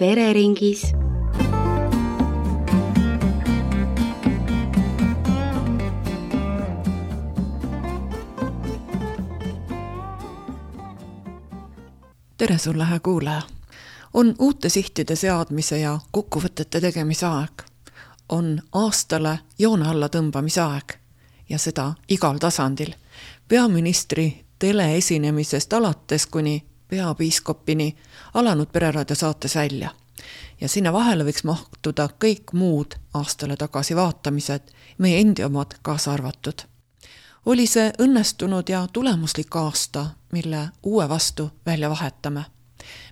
pereringis. Tere sulle, hea kuulaja! On uute sihtide seadmise ja kokkuvõtete tegemise aeg. On aastale joone alla tõmbamise aeg ja seda igal tasandil. Peaministri teleesinemisest alates kuni peapiiskopini alanud Pereraadio saates välja. Ja sinna vahele võiks mahtuda kõik muud aastale tagasi vaatamised, meie endi omad kaasa arvatud. Oli see õnnestunud ja tulemuslik aasta, mille uue vastu välja vahetame.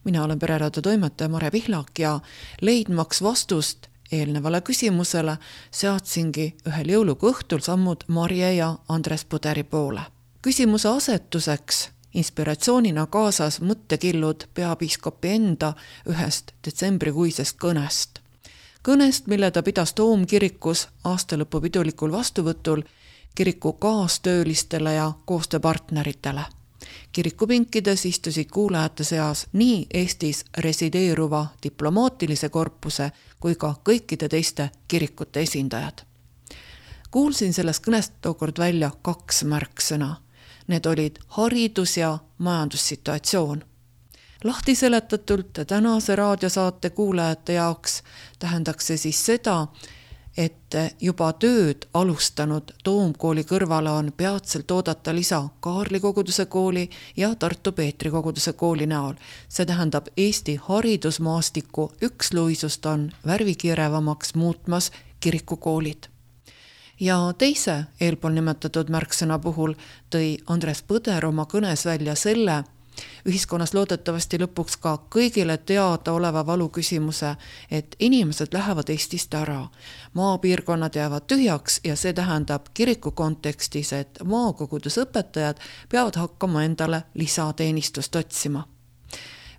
Mina olen Pereraadio toimetaja Mare Pihlak ja leidmaks vastust eelnevale küsimusele seadsingi ühel jõulugu õhtul sammud Marje ja Andres Puderi poole. Küsimuse asetuseks inspiratsioonina kaasas mõttekillud peapiiskopi enda ühest detsembrikuisest kõnest. Kõnest, mille ta pidas Toomkirikus aastalõpu pidulikul vastuvõtul kiriku kaastöölistele ja koostööpartneritele. Kirikupinkides istusid kuulajate seas nii Eestis resideeruva diplomaatilise korpuse kui ka kõikide teiste kirikute esindajad. Kuulsin sellest kõnest tookord välja 2 märksõna. Need olid haridus- ja majandussituatsioon. Lahti seletatult tänase raadiosaate kuulajate jaoks tähendaks see siis seda, et juba tööd alustanud Toomkooli kõrvale on peatselt oodata lisa Kaarli koguduse kooli ja Tartu Peetri koguduse kooli näol. See tähendab Eesti haridusmaastiku üksluisust on värvikirevamaks muutmas kirikukoolid. Ja teise eelpool nimetatud märksõna puhul tõi Andres Põder oma kõnes välja selle, ühiskonnas loodetavasti lõpuks ka kõigile teada oleva valu küsimuse, et inimesed lähevad Eestist ära. Maapiirkonnad jäävad tühjaks ja see tähendab kiriku kontekstis, et maakogudusõpetajad peavad hakkama endale lisateenistust otsima.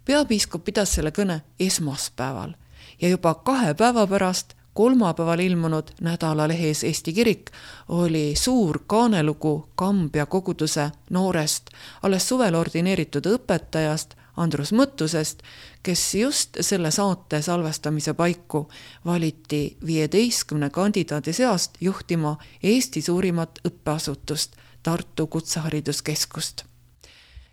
Peapiiskop pidas selle kõne esmaspäeval ja juba 2 päeva pärast kolmapäeval ilmunud nädalalehes Eesti Kirik oli suur kaanelugu Kambja koguduse noorest, alles suvel ordineeritud õpetajast Andrus Mõttusest, kes just selle saate salvestamise paiku valiti 15 kandidaadi seast juhtima Eesti suurimat õppeasutust, Tartu Kutsehariduskeskust.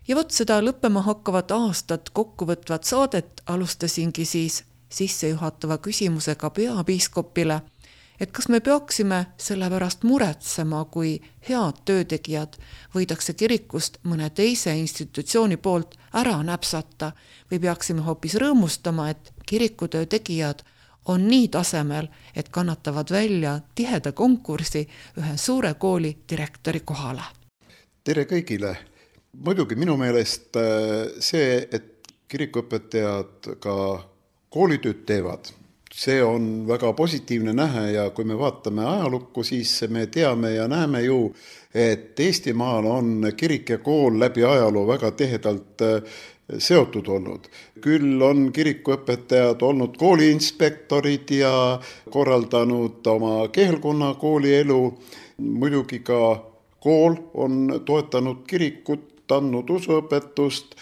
Ja vot seda lõppema hakkavat aastat kokkuvõtvat saadet alustasingi siis sissejuhatava küsimusega peapiiskopile, et kas me peaksime selle pärast muretsema, kui head töötegijad võidakse kirikust mõne teise institutsiooni poolt ära näpsata või peaksime hoopis rõõmustama, et kirikutöö tegijad on nii tasemel, et kannatavad välja tiheda konkursi ühe suure kooli direktori kohale. Tere kõigile! Muidugi minu meelest see, et kirikuõpetajad ka koolitööd teevad. See on väga positiivne nähe ja kui me vaatame ajalukku, siis me teame ja näeme ju, et Eestimaal on kirik ja kool läbi ajaloo väga tihedalt seotud olnud. Küll on kirikuõpetajad olnud kooliinspektorid ja korraldanud oma kehelkonna koolielu. Muidugi ka kool on toetanud kirikut, andnud usuõpetust.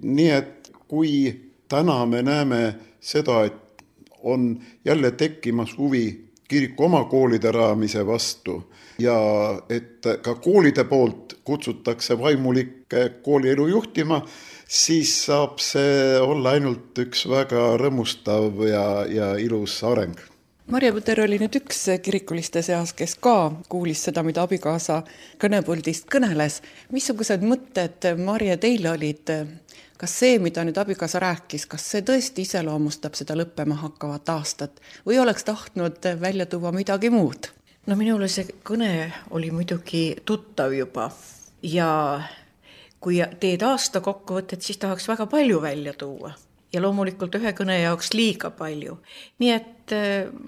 Nii et kui täna me näeme seda, et on jälle tekkimas huvi kiriku oma koolide rajamise vastu ja et ka koolide poolt kutsutakse vaimulikke koolielu juhtima, siis saab see olla ainult üks väga rõõmustav ja ilus areng. Marje Põder oli nüüd üks kirikuliste seas, kes ka kuulis seda, mida abikaasa kõnepuldist kõneles. Missugused mõtted, Marje, teil olid? Kas see, mida nüüd abikaasa rääkis, kas see tõesti iseloomustab seda lõppema hakkavat aastat või oleks tahtnud välja tuua midagi muud? No minule see kõne oli muidugi tuttav juba ja kui teed aasta kokkuvõtet, siis tahaks väga palju välja tuua. Ja loomulikult ühe kõne jaoks liiga palju. Nii et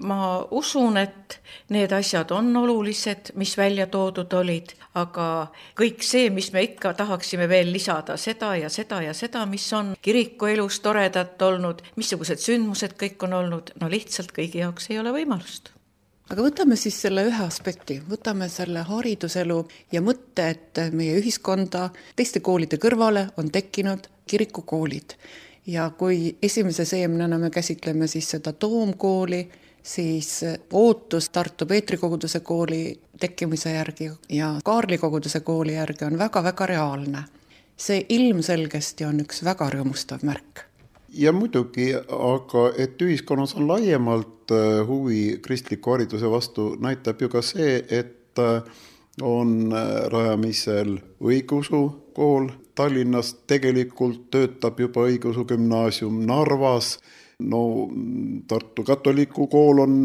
ma usun, et need asjad on olulised, mis välja toodud olid, aga kõik see, mis me ikka tahaksime veel lisada, seda ja seda ja seda, mis on kiriku elus toredat olnud, missugused sündmused kõik on olnud, no lihtsalt kõigi jaoks ei ole võimalust. Aga võtame siis selle ühe aspekti, võtame selle hariduselu ja mõtte, et meie ühiskonda teiste koolide kõrvale on tekkinud kirikukoolid. Ja kui esimese seemnena me käsitleme siis seda Toomkooli, siis ootus Tartu Peetri koguduse kooli tekkimise järgi ja Kaarli koguduse kooli järgi on väga-väga reaalne. See ilmselgesti on üks väga rõõmustav märk. Ja muidugi, aga et ühiskonnas on laiemalt huvi kristliku hariduse vastu, näitab ju ka see, et on rajamisel õigeusu kool Tallinnas, tegelikult töötab juba õigeusu gümnaasium Narvas, Tartu katoliku kool on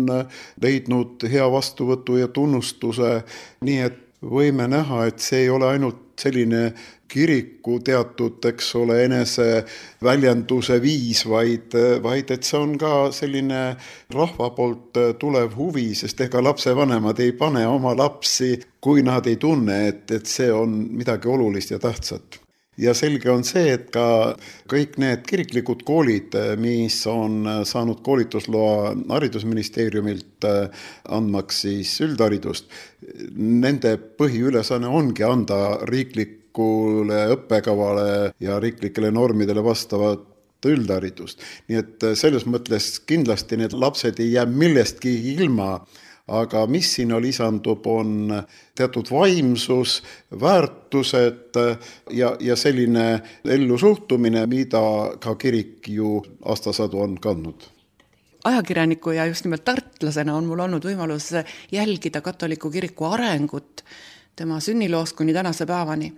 leidnud hea vastuvõtu ja tunnustuse, nii et võime näha, et see ei ole ainult selline kiriku teatud, enese väljenduse viis, vaid et see on ka selline rahva poolt tulev huvi, sest ega lapsevanemad ei pane oma lapsi, kui nad ei tunne, et see on midagi olulist ja tähtsat. Ja selge on see, et ka kõik need kiriklikud koolid, mis on saanud koolitusloa haridusministeeriumilt andmaks siis üldharidust, nende põhiülesanne ongi anda riiklikule õppekavale ja riiklikele normidele vastavat üldharidust. Nii et selles mõttes kindlasti need lapsed ei jää millestki ilma, aga mis sinna lisandub, on teatud vaimsus, väärtused ja selline ellusuhtumine, mida ka kirik ju aastasadu on kandnud. Ajakirjaniku ja just nimelt tartlasena on mul olnud võimalus jälgida katoliku kiriku arengut tema sünniloost kuni tänase päevani.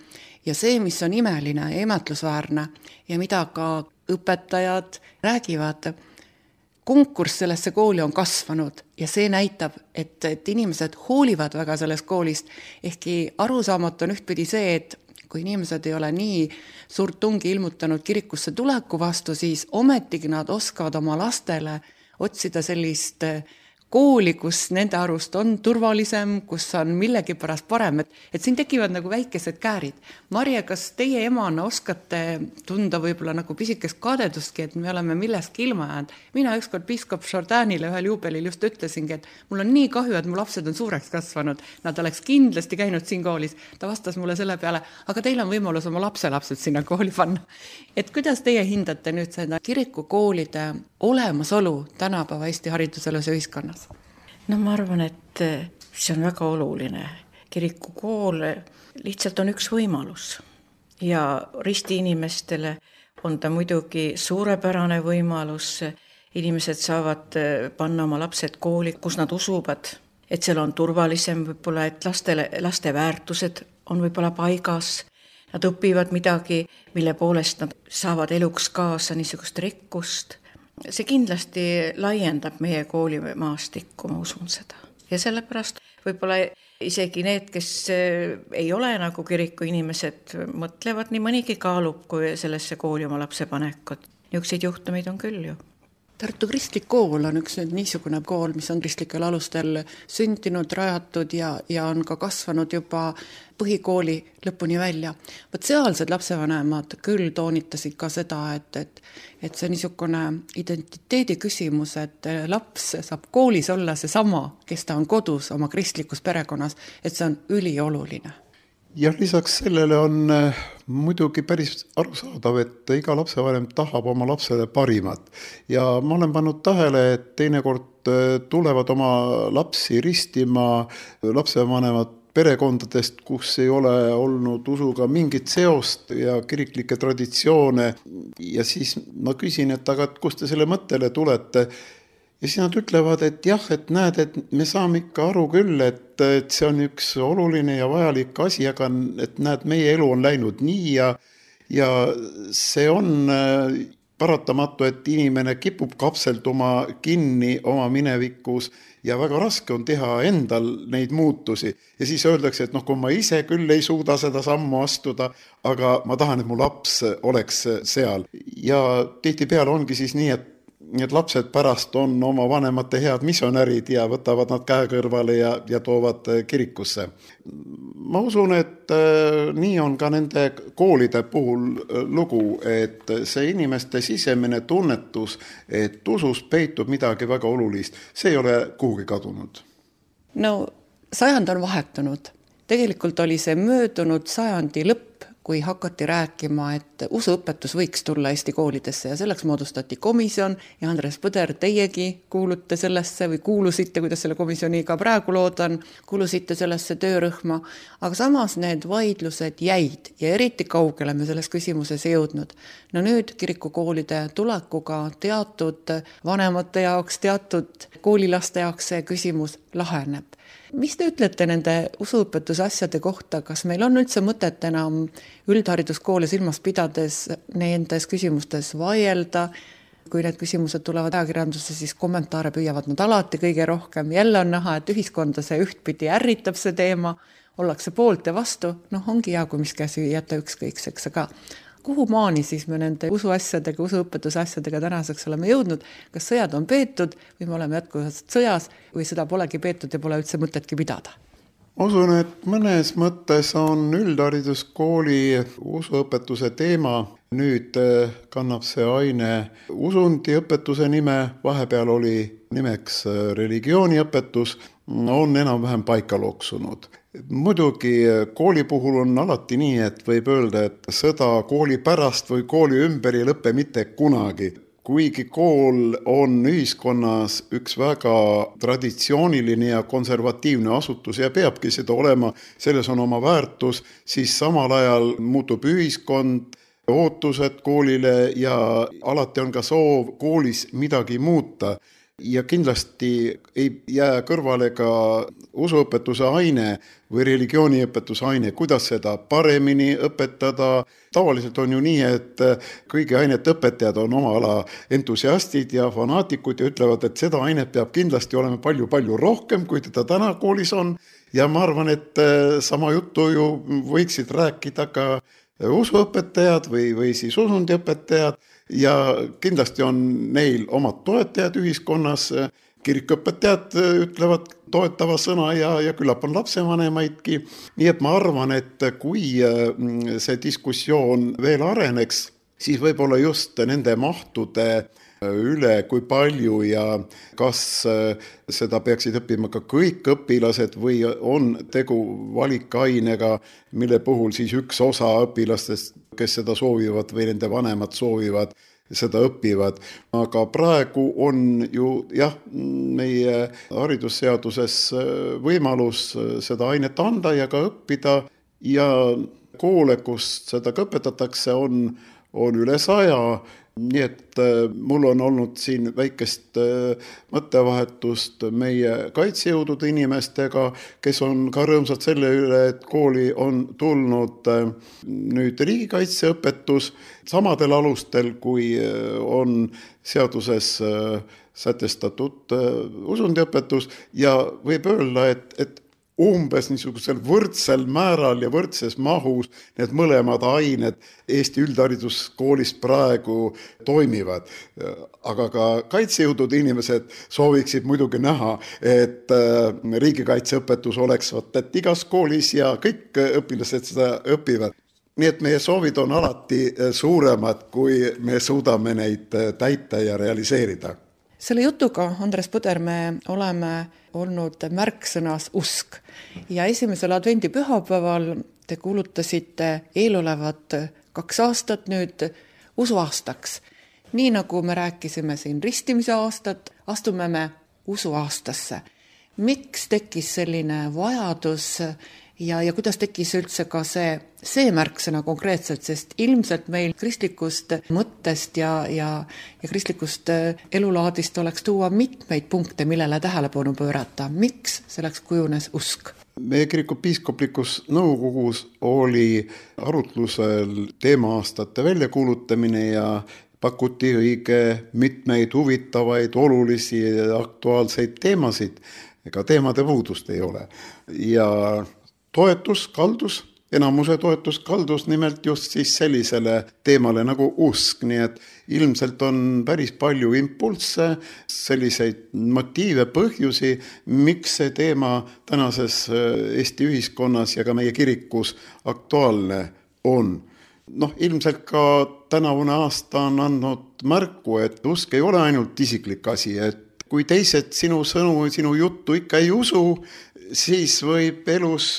Ja see, mis on imeline ja imetlusväärne ja mida ka õpetajad räägivad, konkurss sellesse kooli on kasvanud ja see näitab, et inimesed hoolivad väga sellest koolist. Ehkki arusaamatu on ühtpidi see, et kui inimesed ei ole nii suurt tungi ilmutanud kirikusse tuleku vastu, siis ometigi nad oskavad oma lastele otsida sellist kooli, kus nende arust on turvalisem, kus on millegi pärast parem, et siin tekivad nagu väikesed käärid. Marje, kas teie emana oskate tunda võib-olla nagu pisikest kadedustki, et me oleme millestki ilma jäänud? Mina ükskord piiskop Jordanile ühel juubelil just ütlesingi, et mul on nii kahju, et mu lapsed on suureks kasvanud. Nad oleks kindlasti käinud siin koolis. Ta vastas mulle selle peale, aga teil on võimalus oma lapselapsed sinna kooli panna. Et kuidas teie hindate nüüd seda kirikukoolide olemasolu tänapäeva Eesti hariduselus ja ühiskonnas? No ma arvan, et see on väga oluline. Kirikukool lihtsalt on üks võimalus ja risti inimestele on ta muidugi suurepärane võimalus. Inimesed saavad panna oma lapsed kooli, kus nad usuvad, et seal on turvalisem võib-olla, et laste väärtused on võib-olla paigas. Nad õpivad midagi, mille poolest nad saavad eluks kaasa niisugust rikkust. See kindlasti laiendab meie koolimaastikku, ma usun seda. Ja sellepärast võib-olla isegi need, kes ei ole nagu kiriku inimesed, mõtlevad nii mõnigi kaalub, kui sellesse kooli oma lapse panekut. Niisuguseid juhtumeid on küll ju. Tartu kristlik kool on üks niisugune kool, mis on kristlikel alustel sündinud, rajatud ja on ka kasvanud juba põhikooli lõpuni välja. Võt sealsed lapsevanemad küll toonitasid ka seda, et see niisugune identiteedi küsimus, et laps saab koolis olla see sama, kes ta on kodus oma kristlikus perekonnas, et see on ülioluline. Ja lisaks sellele on muidugi päris arusaadav, et iga lapsevanem tahab oma lapsele parimat. Ja ma olen pannud tähele, et teinekord tulevad oma lapsi ristima lapsevanemad perekondadest, kus ei ole olnud usuga mingit seost ja kiriklikke traditsioone. Ja siis ma küsin, et aga kust te selle mõttele tulete? Ja siis nad ütlevad, et jah, et näed, et me saame ikka aru küll, et see on üks oluline ja vajalik asi, aga et näed, meie elu on läinud nii ja see on paratamatu, et inimene kipub kapselduma kinni oma minevikus ja väga raske on teha endal neid muutusi. Ja siis öeldakse, et kui ma ise küll ei suuda seda sammu astuda, aga ma tahan, et mu laps oleks seal. Ja tihtipeale ongi siis nii, et lapsed pärast on oma vanemate head missionärid ja võtavad nad käe kõrvale ja toovad kirikusse. Ma usun, et nii on ka nende koolide puhul lugu, et see inimeste sisemine tunnetus, et usus peitub midagi väga olulist, see ei ole kuhugi kadunud. No, sajand on vahetunud. Tegelikult oli see möödunud sajandi lõpp, kui hakati rääkima, et usuõpetus võiks tulla Eesti koolidesse ja selleks moodustati komisjon ja Andres Põder, teiegi kuulute sellesse või kuulusite, kuidas selle komisjoniga praegu loodan, kuulusite sellesse töörühma, aga samas need vaidlused jäid ja eriti kaugele me selles küsimuses ei jõudnud. No nüüd kirikukoolide tulekuga teatud vanemate jaoks, teatud koolilaste jaoks see küsimus laheneb. Mis te ütlete nende usuõpetuse asjade kohta, kas meil on üldse mõtet enam üldhariduskoole silmas pidades nendes küsimustes vaielda? Kui need küsimused tulevad ajakirjandusse, siis kommentaare püüavad nad alati kõige rohkem. Jälle on näha, et ühiskonda see ühtpidi ärritab see teema, ollakse poolt ja vastu. Ongi hea, kui mis käsi jätta ükskõikseks, aga kuhu maani siis me nende usuasjadega, usuõpetuse asjadega tänaseks oleme jõudnud? Kas sõjad on peetud või me oleme jätkuvalt sõjas või seda polegi peetud ja pole üldse mõtetki pidada? Usun, et mõnes mõttes on üldhariduskooli usuõpetuse teema. Nüüd kannab see aine usundiõpetuse nime, vahepeal oli nimeks religiooniõpetus, on enam-vähem paika loksunud. Muidugi kooli puhul on alati nii, et võib öelda, et sõda kooli pärast või kooli ümber ei lõpe mitte kunagi. Kuigi kool on ühiskonnas üks väga traditsiooniline ja konservatiivne asutus ja peabki seda olema, selles on oma väärtus, siis samal ajal muutub ühiskond, ootused koolile ja alati on ka soov koolis midagi muuta. Ja kindlasti ei jää kõrvale ka usuõpetuse aine või religiooniõpetuse aine, kuidas seda paremini õpetada. Tavaliselt on ju nii, et kõigi ainete õpetajad on oma ala entusiastid ja fanaatikud ja ütlevad, et seda ainet peab kindlasti olema palju-palju rohkem, kui teda täna koolis on. Ja ma arvan, et sama juttu ju võiksid rääkida ka usuõpetajad või siis usundiõpetajad. Ja kindlasti on neil omad toetajad ühiskonnas, kirikuõpetajad ütlevad toetava sõna ja küllap on lapsevanemaidki. Nii et ma arvan, et kui see diskussioon veel areneks, siis võib-olla just nende mahtude üle, kui palju ja kas seda peaksid õppima ka kõik õpilased või on tegu valikainega, mille puhul siis üks osa õpilastest, kes seda soovivad või nende vanemad soovivad, seda õpivad. Aga praegu on ju meie haridusseaduses võimalus seda ainet anda ja ka õppida ja koole, kus seda ka õpetatakse, on üle 100. Nii et mul on olnud siin väikest mõttevahetust meie kaitsejõudude inimestega, kes on ka rõõmsad selle üle, et kooli on tulnud nüüd riigikaitseõpetus samadel alustel, kui on seaduses sätestatud usundiõpetus ja võib öelda, et umbes niisugusel võrdsel määral ja võrdses mahus need mõlemad ained Eesti üldhariduskoolis praegu toimivad. Aga ka kaitsejõudude inimesed sooviksid muidugi näha, et riigikaitseõpetus oleks et igas koolis ja kõik õpilased seda õpivad. Nii et meie soovid on alati suuremad, kui me suudame neid täita ja realiseerida. Selle jutuga, Andres Põder, me oleme olnud märksõnas usk ja esimesel advendipühapäeval te kuulutasite eelolevat 2 aastat nüüd usuaastaks. Nii nagu me rääkisime siin ristimise aastat, astume me usuaastasse. Miks tekkis selline vajadus ja kuidas tekkis üldse ka see märksõna konkreetselt, sest ilmselt meil kristlikust mõttest ja kristlikust elulaadist oleks tuua mitmeid punkte, millele tähelepanu pöörata. Miks selleks kujunes usk? Meie kiriku piiskoplikus nõukogus oli arutlusel teema-aastate väljakuulutamine ja pakuti õige mitmeid huvitavaid, olulisi ja aktuaalseid teemasid. Ega teemade puudust ei ole. Ja enamuse toetus kaldus nimelt just siis sellisele teemale nagu usk, nii et ilmselt on päris palju impulsse, selliseid motiive, põhjusi, miks see teema tänases Eesti ühiskonnas ja ka meie kirikus aktuaalne on. Ilmselt ka tänavune aasta on andnud märku, et usk ei ole ainult isiklik asi, et kui teised sinu sõnu, sinu juttu ikka ei usu, siis võib elus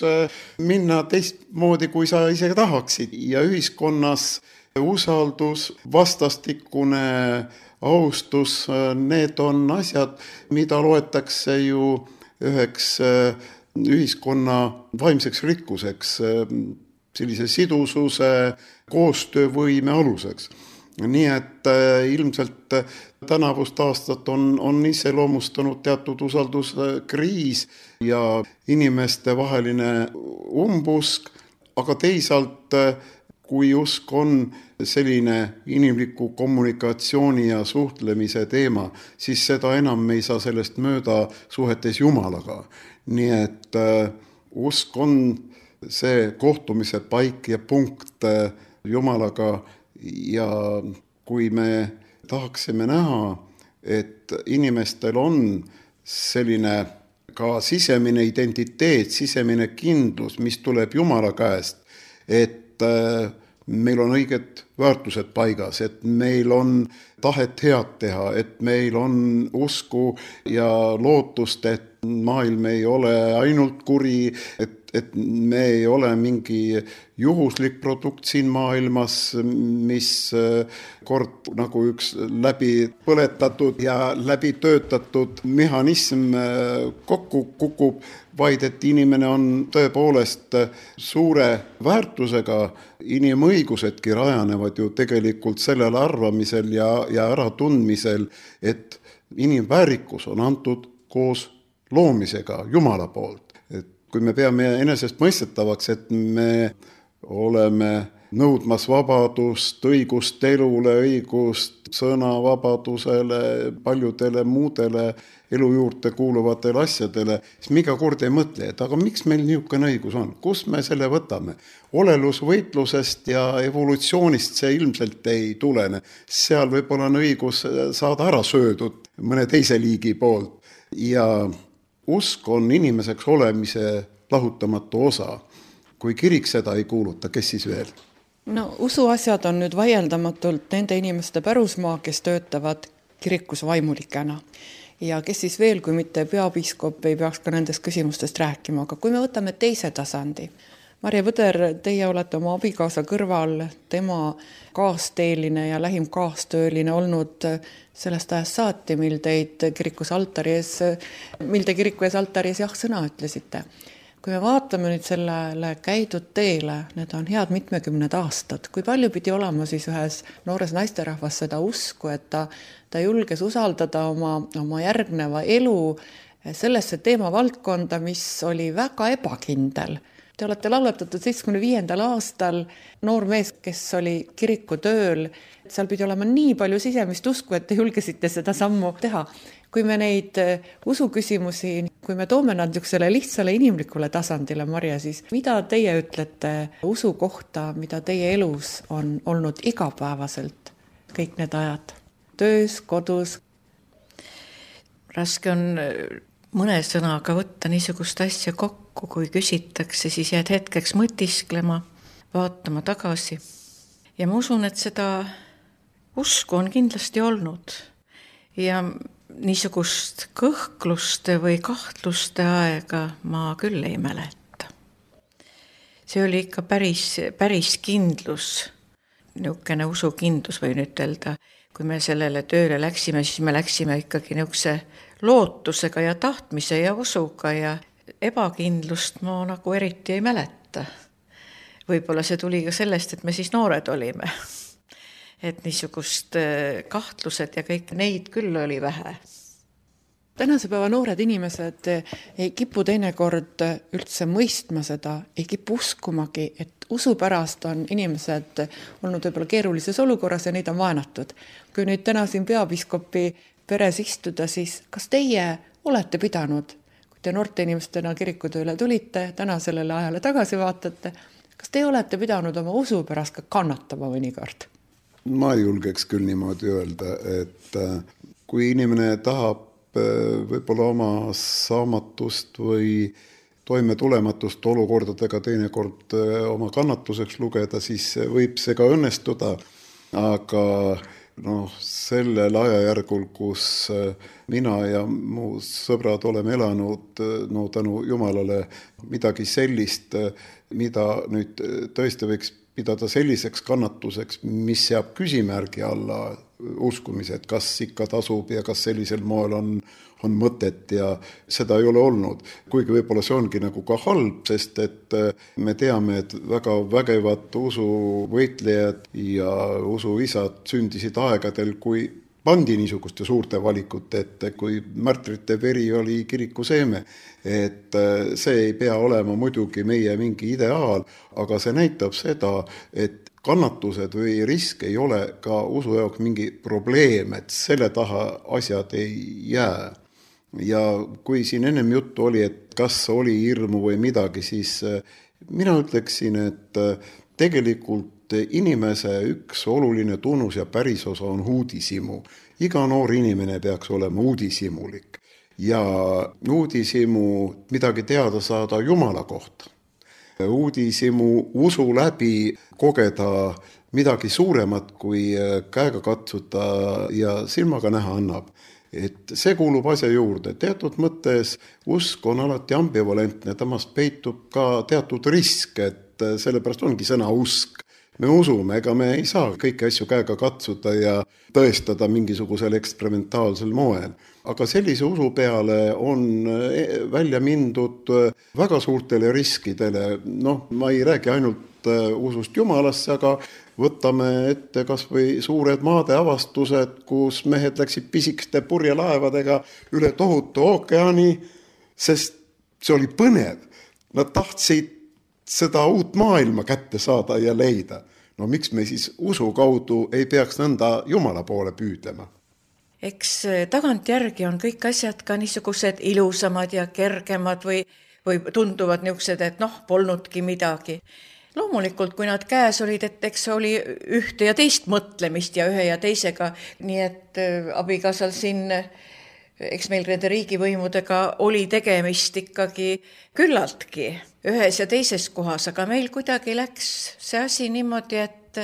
minna teistmoodi, kui sa ise tahaksid ja ühiskonnas usaldus, vastastikune austus, need on asjad, mida loetakse ju üheks ühiskonna vaimseks rikkuseks, sellise sidususe, koostöövõime aluseks. Nii et ilmselt tänavust aastat on iseloomustanud teatud usalduskriis ja inimeste vaheline umbusk, aga teisalt kui usk on selline inimliku kommunikatsiooni ja suhtlemise teema, siis seda enam me ei saa sellest mööda suhetes Jumalaga. Nii et usk on see kohtumise paik ja punkt Jumalaga ja kui me tahaksime näha, et inimestel on selline ka sisemine identiteet, sisemine kindlus, mis tuleb Jumala käest, et meil on õiged väärtused paigas, et meil on tahet head teha, et meil on usku ja lootust, et maailm ei ole ainult kuri, et me ei ole mingi juhuslik produkt siin maailmas, mis kord nagu üks läbi põletatud ja läbi töötatud mehhanism kokku kukub, vaid et inimene on tõepoolest suure väärtusega. Inimõigusedki rajanevad ju tegelikult sellel arvamisel ja äratundmisel, et inimväärikus on antud koos loomisega Jumala poolt. Et kui me peame enesest mõistetavaks, et me oleme nõudmas vabadust, õigust elule, õigust sõnavabadusele, paljudele muudele elu juurde kuuluvatele asjadele, siis me iga kord ei mõtle, et aga miks meil niisugune õigus on, kus me selle võtame? Olelusvõitlusest ja evolutsioonist see ilmselt ei tulene. Seal võib-olla on õigus saada ära söödud mõne teise liigi poolt ja usk on inimeseks olemise lahutamatu osa. Kui kirik seda ei kuuluta, kes siis veel? No usuasjad on nüüd vaieldamatult nende inimeste pärusmaa, kes töötavad kirikus vaimulikena. Ja kes siis veel, kui mitte peapiiskop, ei peaks ka nendest küsimustest rääkima. Aga kui me võtame teise tasandi, Marje Võder, teie olete oma abikaasa kõrval, tema kaasteeline ja lähim kaastööline olnud sellest ajast saati, mil te kiriku ees altari ees jah-sõna ütlesite. Kui me vaatame nüüd sellele käidud teele, need on head mitmekümned aastad, kui palju pidi olema siis ühes noores naisterahvas seda usku, et ta julges usaldada oma järgneva elu sellesse teemavaldkonda, mis oli väga ebakindel. Te olete laulatatud 75. aastal, noor mees, kes oli kiriku tööl, seal pidi olema nii palju sisemist usku, et te julgesite seda sammu teha. Kui me neid usuküsimusi, kui me toome nad niisugusele lihtsale inimlikule tasandile, Marje, siis mida teie ütlete usu kohta, mida teie elus on olnud igapäevaselt kõik need ajad? Töös, kodus? Raske on mõne sõnaga võtta niisugust asja kokku, kui küsitakse, siis jääd hetkeks mõtisklema, vaatama tagasi. Ja ma usun, et seda usku on kindlasti olnud ja niisugust kõhkluste või kahtluste aega ma küll ei mäleta. See oli ikka päris kindlus, niisugune usukindlus võin ütelda. Kui me sellele tööle läksime, siis me läksime ikkagi niisuguse lootusega ja tahtmise ja usuga ja ebakindlust ma nagu eriti ei mäleta. Võib-olla see tuli ka sellest, et me siis noored olime. Et niisugust kahtlused ja kõik neid küll oli vähe. Tänase päeva noored inimesed ei kipu teinekord üldse mõistma seda, ei kipu uskumagi, et usu pärast on inimesed olnud võib-olla keerulises olukorras ja neid on vaenatud. Kui nüüd täna siin peapiiskopi peres istuda, siis kas teie olete pidanud, kui te noorte inimestena kirikutööle tulite, täna sellele ajale tagasi vaatate, kas te olete pidanud oma usu pärast ka kannatama mõnikord? Ma ei julgeks küll niimoodi öelda, et kui inimene tahab võib-olla oma saamatust või toimetulematust olukordadega teinekord oma kannatuseks lugeda, siis võib see ka õnnestuda, aga sellel ajajärgul, kus mina ja mu sõbrad oleme elanud, tänu Jumalale midagi sellist, mida nüüd tõesti võiks pidada selliseks kannatuseks, mis seab küsimärgi alla uskumised, kas ikka tasub ja kas sellisel moel on mõtet ja seda ei ole olnud. Kuigi võib-olla see ongi nagu ka halb, sest et me teame, et väga vägevad usuvõitlejad ja usuisad sündisid aegadel, kui pandi niisuguste suurte valikute ette, kui märtrite veri oli kiriku seeme. Et see ei pea olema muidugi meie mingi ideaal, aga see näitab seda, et kannatused või risk ei ole ka usu jaoks mingi probleem, et selle taha asjad ei jää. Ja kui siin ennem juttu oli, et kas oli hirmu või midagi, siis mina ütleksin, et tegelikult inimese üks oluline tunnus ja pärisosa on uudishimu. Iga noor inimene peaks olema uudishimulik ja uudishimu midagi teada saada Jumala kohta. Uudishimu usu läbi kogeda midagi suuremat kui käega katsuda ja silmaga näha annab. Et see kuulub asja juurde. Teatud mõttes usk on alati ambivalentne, temast peitub ka teatud risk, et sellepärast ongi sõna usk. Me usume, ega me ei saa kõiki asju käega katsuda ja tõestada mingisugusel eksperimentaalsel moel. Aga sellise usu peale on välja mindud väga suurtele riskidele. Ma ei räägi ainult usust Jumalasse, aga võtame ette kas või suured maadeavastused, kus mehed läksid pisikeste purjelaevadega üle tohutu ookeani, sest see oli põnev. Nad tahtsid seda uut maailma kätte saada ja leida. Miks me siis usu kaudu ei peaks nõnda Jumala poole püüdlema? Eks tagantjärgi on kõik asjad ka niisugused ilusamad ja kergemad või tunduvad niisugused, et polnudki midagi. Loomulikult, kui nad käes olid, et eks oli ühte ja teist mõtlemist ja ühe ja teisega, nii et abikaasal siin, eks meil nende riigivõimudega oli tegemist ikkagi küllaltki ühes ja teises kohas, aga meil kuidagi läks see asi niimoodi, et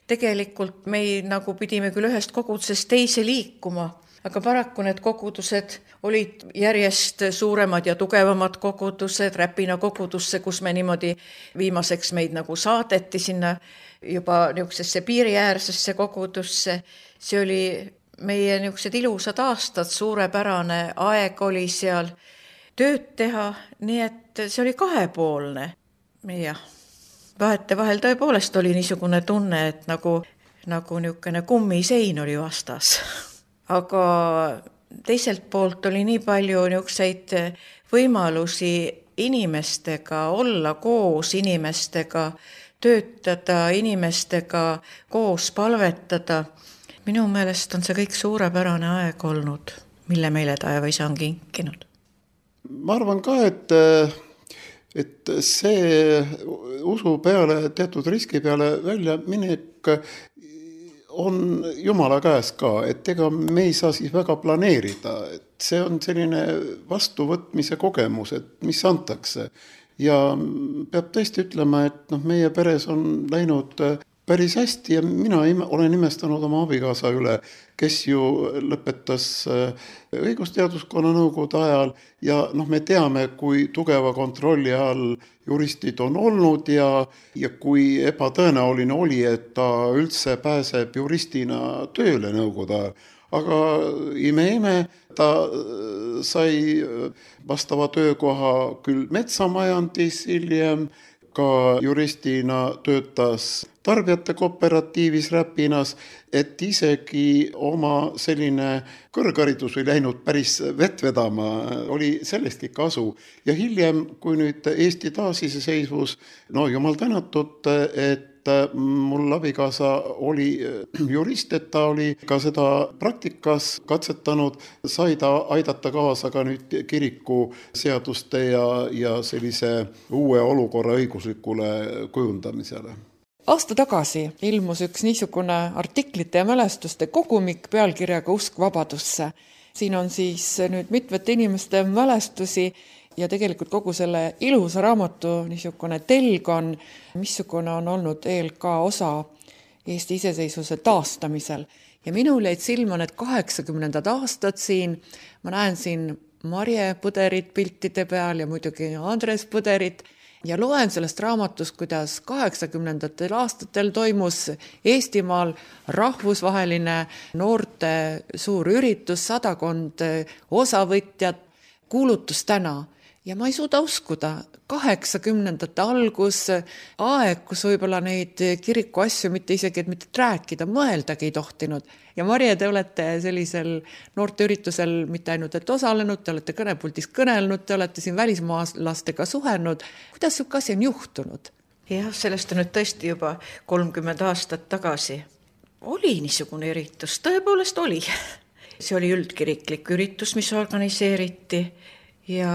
tegelikult me nagu pidime küll ühest kogudusest teise liikuma, aga paraku need kogudused olid järjest suuremad ja tugevamad kogudused, Räpina kogudusse, kus me niimoodi viimaseks meid nagu saadeti sinna juba niisugusesse piiriäärsesse kogudusse. See oli meie niisugused ilusad aastad, suurepärane aeg oli seal tööd teha, nii et see oli kahepoolne. Jah, vahetevahel tõepoolest oli niisugune tunne, et nagu niisugune kummisein oli vastas. Aga teiselt poolt oli nii palju niisuguseid võimalusi inimestega olla koos, inimestega töötada, inimestega koos palvetada. Minu meelest on see kõik suurepärane aeg olnud, mille meile taevaisa on kinkinud. Ma arvan ka, et see usu peale, teatud riski peale välja minek on Jumala käes ka, et ega me ei saa siis väga planeerida, et see on selline vastuvõtmise kogemus, et mis antakse. Ja peab tõesti ütlema, et meie peres on läinud päris hästi ja mina olen imestanud oma abikaasa üle, kes ju lõpetas õigusteaduskonna nõukogude ajal ja me teame, kui tugeva kontrolli all juristid on olnud ja kui ebatõenäoline oli, et ta üldse pääseb juristina tööle nõukogude ajal. Aga ime, ta sai vastava töökoha küll metsamajandis hiljem, ka juristina töötas tarbijate kooperatiivis Räpinas, et isegi oma selline kõrgharidus ei läinud päris vett vedama, oli sellestki kasu. Ja hiljem, kui nüüd Eesti taasiseseisvus, jumal tänatud, et mul abikaasa oli jurist, et ta oli ka seda praktikas katsetanud, sai ta aidata kaasa ka nüüd kiriku seaduste ja sellise uue olukorra õiguslikule kujundamisele. Aasta tagasi ilmus üks niisugune artiklite ja mälestuste kogumik pealkirjaga Usk vabadusse. Siin on siis nüüd mitmete inimeste mälestusi ja tegelikult kogu selle ilusa raamatu niisugune telg on, missugune on olnud ELK osa Eesti iseseisvuse taastamisel. Ja minul jäid silma need 80. aastad siin, ma näen siin Marje Põderit piltide peal ja muidugi Andres Põderit ja loen sellest raamatust, kuidas 80. aastatel toimus Eestimaal rahvusvaheline noorte suur üritus, 100 osavõtjat, kuulutus täna. Ja ma ei suuda uskuda, 80. algus, aeg, kus võib-olla neid kiriku asju mitte isegi, et mitte rääkida, mõeldagi ei tohtinud. Ja Marje, te olete sellisel noorteüritusel mitte ainult et osalenud, te olete kõnepuldis kõnelnud, te olete siin välismaalastega suhelnud. Kuidas siuke asi on juhtunud? Jah, sellest on nüüd tõesti juba 30 aastat tagasi. Oli niisugune üritus, tõepoolest oli. See oli üldkiriklik üritus, mis organiseeriti ja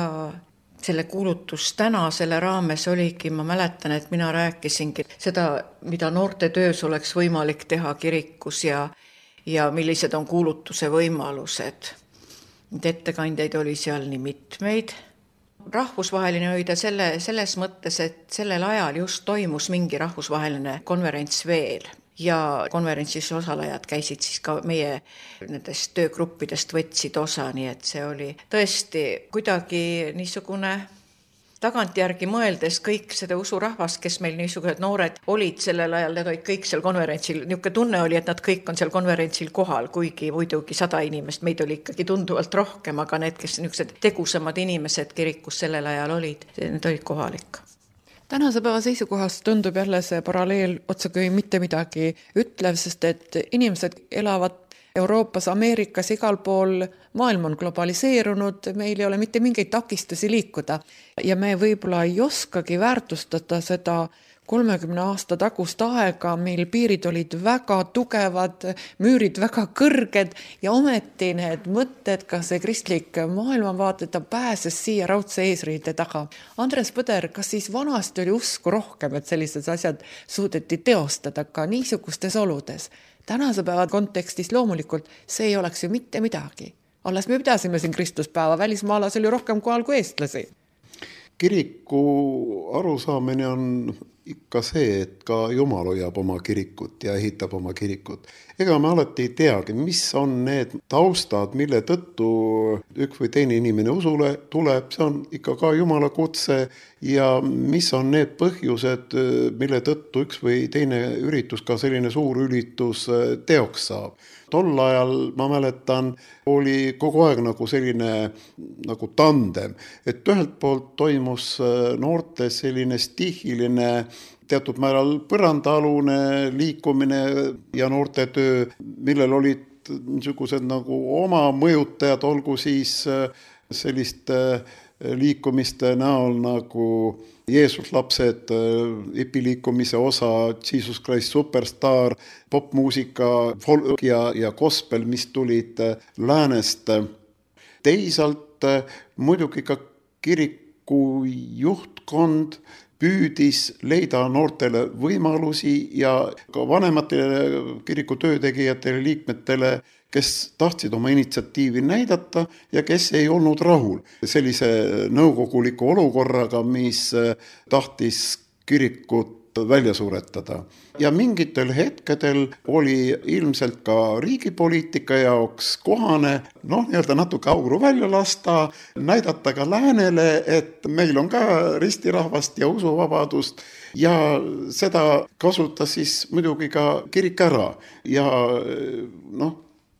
selle kuulutus täna selle raames oligi, ma mäletan, et mina rääkisingi seda, mida noorte töös oleks võimalik teha kirikus ja millised on kuulutuse võimalused. Ettekandjaid oli seal nii mitmeid. Rahvusvaheline hoida selles mõttes, et sellel ajal just toimus mingi rahvusvaheline konverents veel. Ja konverentsis osalejad käisid siis ka meie nendest töögruppidest võtsid osa, nii et see oli tõesti kuidagi niisugune tagantjärgi mõeldes kõik seda usurahvast, kes meil niisugused noored olid sellel ajal, need olid kõik seal konverentsil. Niisugune tunne oli, et nad kõik on seal konverentsil kohal, kuigi muidugi 100 inimest, meid oli ikkagi tunduvalt rohkem, aga need, kes niisugused tegusamad inimesed kirikus sellel ajal olid, need olid kohalik. Tänase päeva seisukohast tundub jälle see paralleel otsekui mitte midagi ütlev, sest et inimesed elavad Euroopas, Ameerikas, igal pool, maailm on globaliseerunud, meil ei ole mitte mingeid takistusi liikuda ja me võib-olla ei oskagi väärtustada seda 30 aasta tagust aega, meil piirid olid väga tugevad, müürid väga kõrged ja ometi need mõtted, ka see kristlik maailmavaate, ta pääses siia raudse eesriide taga. Andres Põder, kas siis vanasti oli usku rohkem, et sellised asjad suudeti teostada ka niisugustes oludes? Tänase päeva kontekstis loomulikult see ei oleks ju mitte midagi. Alles me pidasime siin Kristuspäeva, välismaalas oli rohkem kohal kui eestlasi. Kiriku arusaamine on ikka see, et ka Jumal hoiab oma kirikut ja ehitab oma kirikut. Ega me alati ei teagi, mis on need taustad, mille tõttu üks või teine inimene usule tuleb, see on ikka ka Jumala kutse ja mis on need põhjused, mille tõttu üks või teine üritus, ka selline suur üritus teoks saab. Tol ajal, ma mäletan, oli kogu aeg nagu selline nagu tandem, et ühelt poolt toimus noorte selline stihiline, teatud määral põrandaalune liikumine ja noorte töö, millel olid niisugused nagu oma mõjutajad, olgu siis selliste liikumiste näol nagu Jeesus lapsed, ipiliikumise osa, Jesus Christ Superstar, popmuusika, folk ja gospel, mis tulid läänest. Teisalt muidugi ka kiriku juhtkond püüdis leida noortele võimalusi ja ka vanematele kiriku töötegijatele, liikmetele, kes tahtsid oma initsiatiivi näidata ja kes ei olnud rahul sellise nõukoguliku olukorraga, mis tahtis kirikut välja suretada. Ja mingitel hetkedel oli ilmselt ka riigipoliitika jaoks kohane, nii-öelda natuke auru välja lasta, näidata ka läänele, et meil on ka ristirahvast ja usuvabadust ja seda kasutas siis muidugi ka kirik ära ja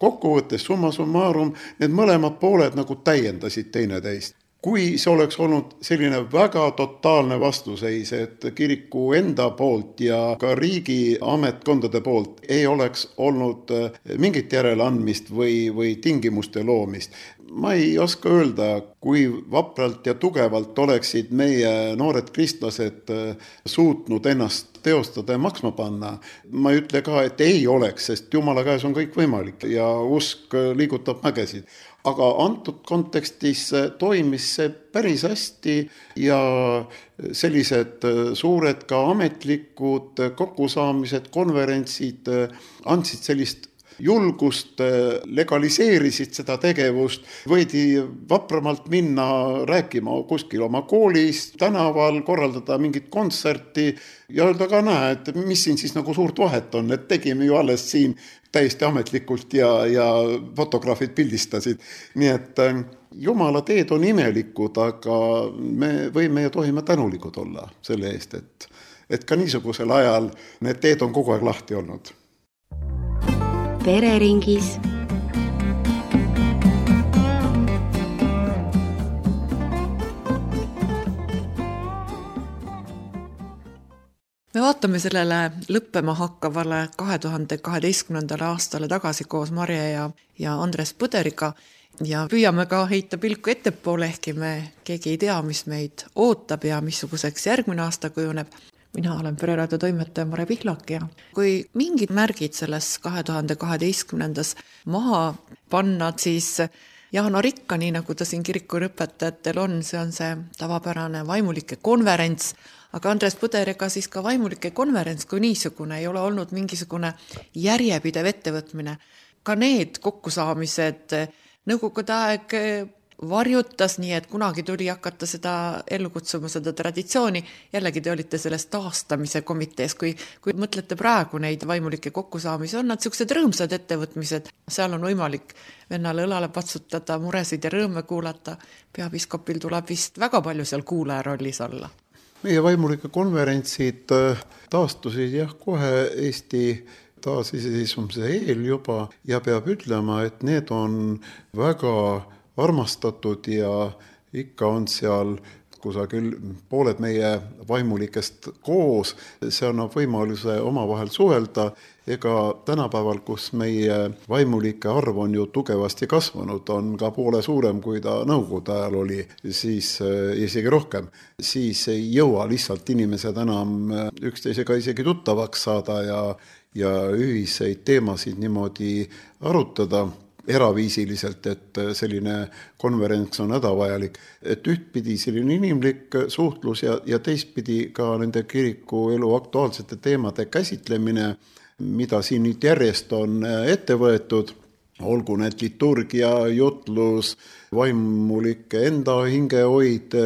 kokkuvõttes summa summarum need mõlemad pooled nagu täiendasid teineteist. Kui see oleks olnud selline väga totaalne vastuseis, et kiriku enda poolt ja ka riigi ametkondade poolt ei oleks olnud mingit järeleandmist või tingimuste loomist. Ma ei oska öelda, kui vapralt ja tugevalt oleksid meie noored kristlased suutnud ennast teostada ja maksma panna. Ma ei ütle ka, et ei oleks, sest Jumala käes on kõik võimalik ja usk liigutab mägesid. Aga antud kontekstis toimis see päris hästi ja sellised suured ka ametlikud kokkusaamised, konverentsid andsid sellist julgust, legaliseerisid seda tegevust, võidi vapramalt minna rääkima kuskil oma koolis, tänaval, korraldada mingit kontserti ja öelda ka näe, et mis siin siis nagu suurt vahet on, et tegime ju alles siin täiesti ametlikult ja fotograafid pildistasid. Nii et Jumala teed on imelikud, aga me võime ja tohime tänulikud olla selle eest, et ka niisugusel ajal need teed on kogu aeg lahti olnud. Pereringis. Me vaatame sellele lõppema hakkavale 2012. aastale tagasi koos Marje ja Andres Põderiga ja püüame ka heita pilku ettepoole, ehkki me keegi ei tea, mis meid ootab ja missuguseks järgmine aasta kujuneb. Mina olen Pereraadio toimetaja Mare Pihlak ja kui mingid märgid selles 2012. maha panna, siis Jaana Rikka, nii nagu ta siin kirikuõpetajatel on see tavapärane vaimulike konverents, aga Andres Põderiga siis ka vaimulike konverents kui niisugune ei ole olnud mingisugune järjepidev ettevõtmine. Ka need kokkusaamised nõukogude aeg varjutas, nii et kunagi tuli hakata seda ellu kutsuma, seda traditsiooni. Jällegi te olite selles taastamise komitees, kui mõtlete praegu neid vaimulike kokkusaamisi, on nad sellised rõõmsad ettevõtmised. Seal on võimalik vennale õlale patsutada, muresid ja rõõme kuulata. Peapiskopil tuleb vist väga palju seal kuulaja rollis olla. Meie vaimulike konverentsid taastusid kohe Eesti taasiseseisvumise eel juba ja peab ütlema, et need on väga armastatud ja ikka on seal kusagil pooled meie vaimulikest koos. See annab võimaluse omavahel suhelda. Ega tänapäeval, kus meie vaimulike arv on ju tugevasti kasvanud, on ka poole suurem, kui ta nõukogude ajal oli, siis isegi rohkem. Siis ei jõua lihtsalt inimesed enam üksteisega isegi tuttavaks saada ja ühiseid teemasid niimoodi arutada eraviisiliselt, et selline konverents on hädavajalik. Et ühtpidi selline inimlik suhtlus ja teistpidi ka nende kiriku elu aktuaalsete teemade käsitlemine, mida siin nüüd järjest on ette võetud, olgu need liturgia, jutlus, vaimulike enda hingehoid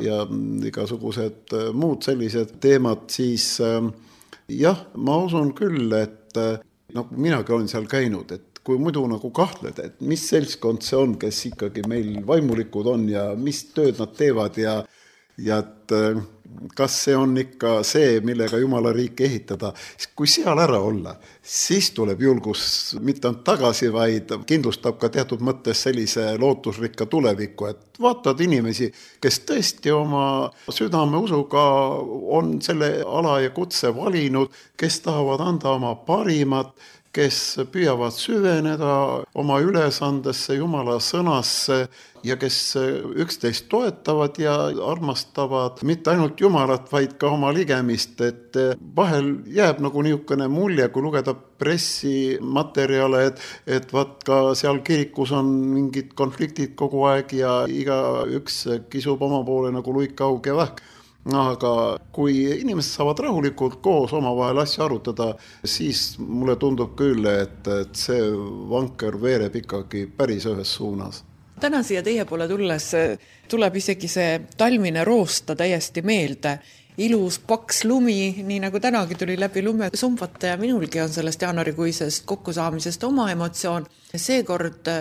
ja igasugused muud sellised teemad, siis ma usun küll, et minagi olen seal käinud, et kui muidu nagu kahtled, et mis seltskond see on, kes ikkagi meil vaimulikud on ja mis tööd nad teevad ja et kas see on ikka see, millega Jumala riiki ehitada. Kui seal ära olla, siis tuleb julgus mitte ainult tagasi, vaid kindlustab ka teatud mõttes sellise lootusrikka tulevikku, et vaatad inimesi, kes tõesti oma südame usuga on selle ala ja kutse valinud, kes tahavad anda oma parimat, kes püüavad süveneda oma ülesandesse, Jumala sõnasse ja kes üksteist toetavad ja armastavad mitte ainult Jumalat, vaid ka oma ligemist. Et vahel jääb nagu niisugune mulje, kui lugeda pressimaterjale, et vaat ka seal kirikus on mingid konfliktid kogu aeg ja igaüks kisub oma poole nagu luikaug ja vähk. Aga kui inimesed saavad rahulikult koos omavahel asja arutada, siis mulle tundub küll, et see vanker veereb ikkagi päris ühes suunas. Täna siia teie poole tulles tuleb isegi see talmine roosta täiesti meelde. Ilus paks lumi, nii nagu tänagi tuli läbi lume sumbata ja minulgi on sellest jaanuarikuisest kokkusaamisest oma emotsioon. Seekord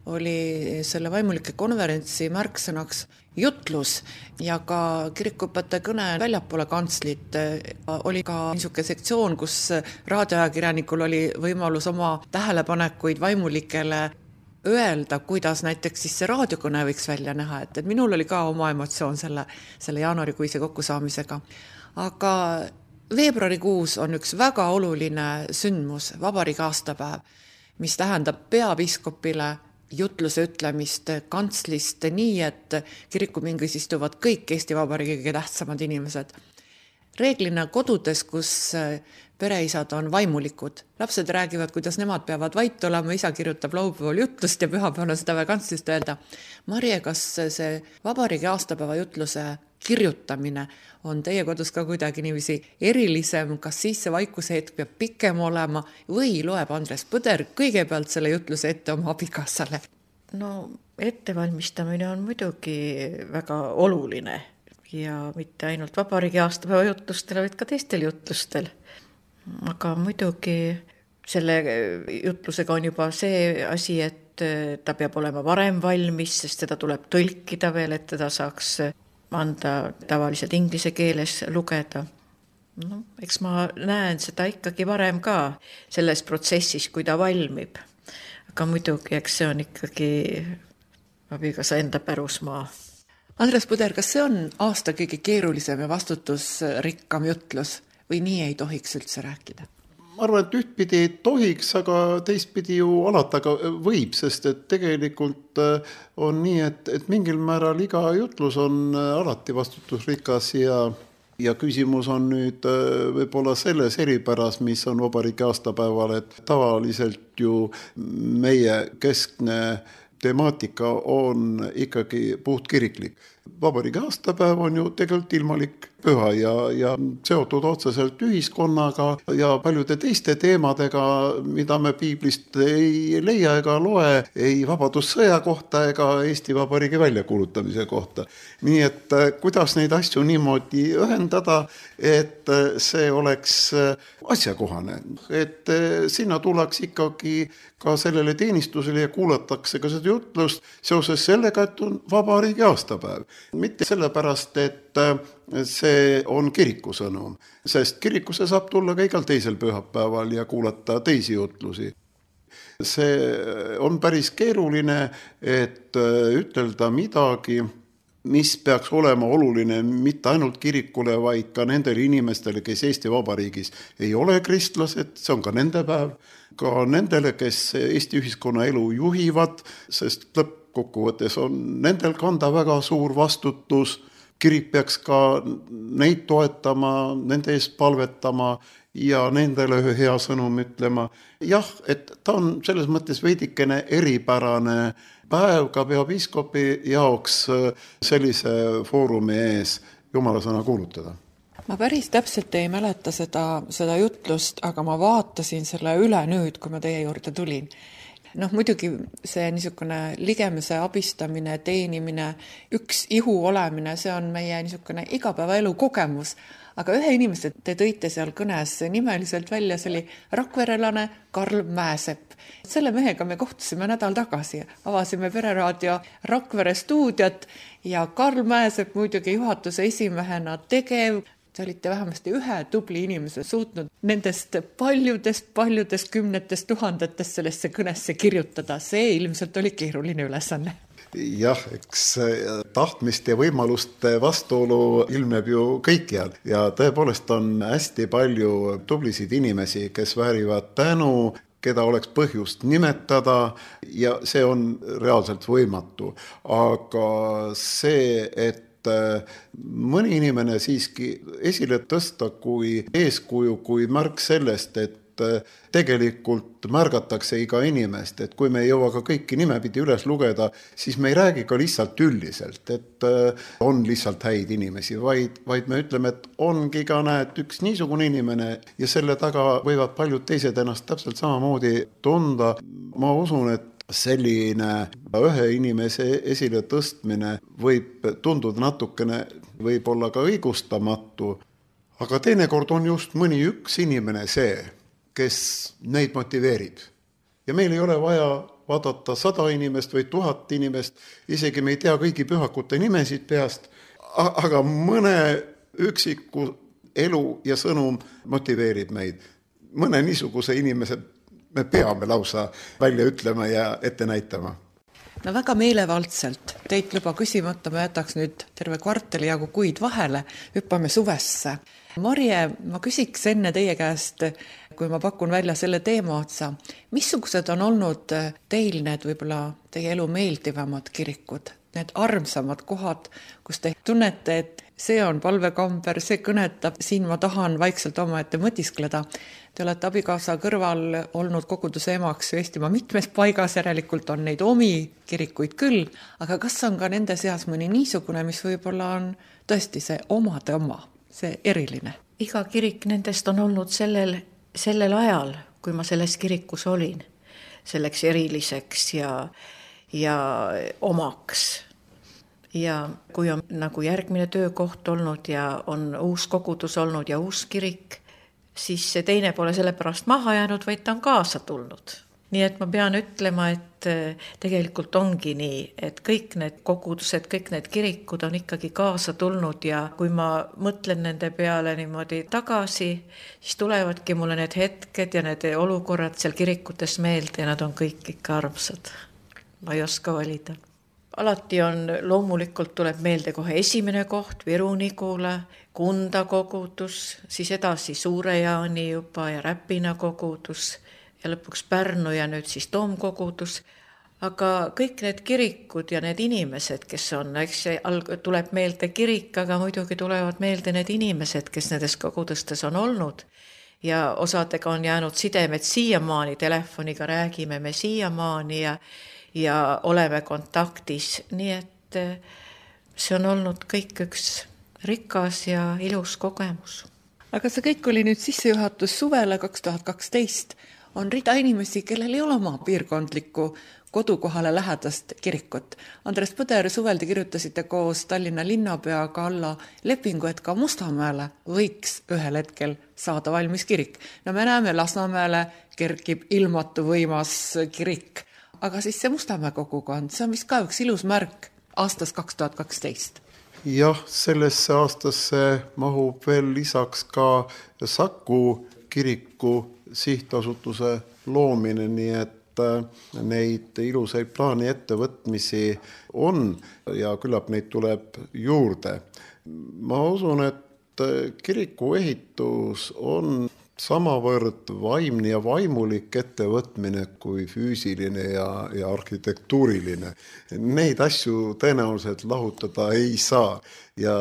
oli selle vaimulike konverentsi märksõnaks jutlus ja ka kirikuõpetaja kõne väljapoole kantslit. Oli ka niisugune sektsioon, kus raadioajakirjanikul oli võimalus oma tähelepanekuid vaimulikele öelda, kuidas näiteks siis see raadiokõne võiks välja näha, et minul oli ka oma emotsioon selle jaanuarikuise kokkusaamisega. Aga veebruarikuus on üks väga oluline sündmus, vabariigi aastapäev, mis tähendab peapiskopile jutluse ütlemist kantslist nii, et kirikupingis istuvad kõik Eesti Vabariigi kõige tähtsamad inimesed. Reeglina kodudes, kus pereisad on vaimulikud. Lapsed räägivad, kuidas nemad peavad vait olema, isa kirjutab laupäeval jutlust ja pühapäeval on seda vaja kantsist öelda. Marje, kas see vabariigi aastapäeva jutluse kirjutamine on teie kodus ka kuidagi niiviisi erilisem, kas siis see vaikuse hetk peab pikem olema või loeb Andres Põder kõigepealt selle jutluse ette oma abikaasale? No ettevalmistamine on muidugi väga oluline ja mitte ainult vabariigi aastapäeva jutlustel, vaid ka teistel jutlustel. Aga muidugi selle jutlusega on juba see asi, et ta peab olema varem valmis, sest seda tuleb tõlkida veel, et teda saaks anda tavaliselt inglise keeles lugeda. No, eks ma näen seda ikkagi varem ka selles protsessis, kui ta valmib. Aga muidugi, eks see on ikkagi abikaasa enda pärusmaa. Andres Põder, kas see on aasta kõige keerulisem ja vastutusrikkam jutlus või nii ei tohiks üldse rääkida? Ma arvan, et ühtpidi ei tohiks, aga teistpidi ju alati võib, sest et tegelikult on nii, et mingil määral iga jutlus on alati vastutusrikas ja küsimus on nüüd võib-olla selles eripäras, mis on vabariigi aastapäeval, et tavaliselt ju meie keskne temaatika on ikkagi puhtkiriklik. Vabariigi aastapäev on ju tegelikult ilmalik püha ja seotud otseselt ühiskonnaga ja paljude teiste teemadega, mida me piiblist ei leia ega loe, ei vabadussõja kohta ega Eesti Vabariigi väljakuulutamise kohta. Nii et kuidas neid asju niimoodi ühendada, et see oleks asjakohane, et sinna tuleks ikkagi ka sellele teenistusele ja kuulatakse ka seda jutlust seoses sellega, et on vabariigi aastapäev. Mitte sellepärast, et see on kiriku sõnum, sest kirikusse saab tulla ka igal teisel pühapäeval ja kuulata teisi jutlusi. See on päris keeruline, et ütelda midagi, mis peaks olema oluline mitte ainult kirikule, vaid ka nendele inimestele, kes Eesti Vabariigis ei ole kristlased, see on ka nende päev, ka nendele, kes Eesti ühiskonna elu juhivad, sest lõppkokkuvõttes on nendel kanda väga suur vastutus. Kirik peaks ka neid toetama, nende eest palvetama ja nendele ühe hea sõnum ütlema. Jah, et ta on selles mõttes veidikene eripärane päev ka peapiiskopi jaoks sellise foorumi ees Jumala sõna kuulutada. Ma päris täpselt ei mäleta seda jutlust, aga ma vaatasin selle üle nüüd, kui ma teie juurde tulin. Muidugi see niisugune ligemese abistamine, teenimine, üks ihu olemine, see on meie niisugune igapäevaelu kogemus. Aga ühe inimese te tõite seal kõnes nimeliselt välja, see oli rakverelane Karl Mäesepp. Selle mehega me kohtusime nädal tagasi, avasime Pereraadio Rakvere stuudiot ja Karl Mäesepp muidugi juhatuse esimehena tegev. Te olite vähemasti ühe tubli inimese suutnud nendest paljudest kümnetest tuhandetest sellesse kõnesse kirjutada. See ilmselt oli keeruline ülesanne. Jah, eks tahtmist ja võimaluste vastuolu ilmneb ju kõikjal ja tõepoolest on hästi palju tublisid inimesi, kes väärivad tänu, keda oleks põhjust nimetada ja see on reaalselt võimatu. Aga see, et mõni inimene siiski esile tõsta kui eeskuju, kui märk sellest, et tegelikult märgatakse iga inimest, et kui me ei jõua ka kõiki nimepidi üles lugeda, siis me ei räägi ka lihtsalt üldiselt, et on lihtsalt häid inimesi, vaid me ütleme, et ongi ka näed üks niisugune inimene ja selle taga võivad paljud teised ennast täpselt samamoodi tunda. Ma usun, et selline ühe inimese esile tõstmine võib tunduda natukene, võib olla ka õigustamatu, aga teinekord on just mõni üks inimene see, kes neid motiveerib. Ja meil ei ole vaja vaadata 100 inimest või 1000 inimest, isegi me ei tea kõigi pühakute nimesid peast, aga mõne üksiku elu ja sõnum motiveerib meid. Mõne niisuguse inimese me peame lausa välja ütlema ja ette näitama. No väga meelevaldselt. Teit luba küsimata, ma jätaks nüüd terve kvartali jagu kuid vahele, hüppame suvesse. Marje, ma küsiks enne teie käest, kui ma pakun välja selle teema otsa, missugused on olnud teil need võib-olla teie elu meeldivamad kirikud, need armsamad kohad, kus te tunnete, et see on palvekamber, see kõnetab, siin ma tahan vaikselt omaette mõtiskleda. Te olete abikaasa kõrval olnud koguduse emaks Eestimaa mitmes paigas, järelikult on neid omi kirikuid küll, aga kas on ka nende seas mõni niisugune, mis võib-olla on tõesti see omade oma, see eriline? Iga kirik nendest on olnud sellel ajal, kui ma selles kirikus olin, selleks eriliseks ja omaks. Ja kui on nagu järgmine töökoht olnud ja on uus kogudus olnud ja uus kirik, siis see teine pole sellepärast maha jäänud, vaid ta on kaasa tulnud. Nii et ma pean ütlema, et tegelikult ongi nii, et kõik need kogudused, kõik need kirikud on ikkagi kaasa tulnud ja kui ma mõtlen nende peale niimoodi tagasi, siis tulevadki mulle need hetked ja need olukorrad seal kirikutes meelde ja nad on kõik ikka armsad. Ma ei oska valida. Alati on, loomulikult tuleb meelde kohe esimene koht, Viru-Nigula, Kunda kogudus, siis edasi Suure-Jaani juba ja Räpina kogudus ja lõpuks Pärnu ja nüüd siis Toomkogudus. Aga kõik need kirikud ja need inimesed, kes on, eks tuleb meelde kirik, aga muidugi tulevad meelde need inimesed, kes nendes kogudustes on olnud. Ja osadega on jäänud sidemed siiamaani, telefoniga räägime me siiamaani ja oleme kontaktis, nii et see on olnud kõik üks rikas ja ilus kogemus. Aga see kõik oli nüüd sissejuhatus suvele 2012. On rida inimesi, kellel ei ole oma piirkondlikku kodukohale lähedast kirikut. Andres Põder, suvel te kirjutasite koos Tallinna linnapeaga alla lepingu, et ka Mustamäele võiks ühel hetkel saada valmis kirik. No me näeme, Lasnamäele kerkib ilmatu võimas kirik. Aga siis see Mustamäe kogukond, see on vist ka üks ilus märk aastas 2012. Jah, sellesse aastasse mahub veel lisaks ka Saku kiriku sihtasutuse loomine, nii et neid ilusaid plaani ettevõtmisi on ja küllap neid tuleb juurde. Ma usun, et kiriku ehitus on samavõrd vaimne ja vaimulik ettevõtmine kui füüsiline ja arhitektuuriline. Neid asju tõenäoliselt lahutada ei saa ja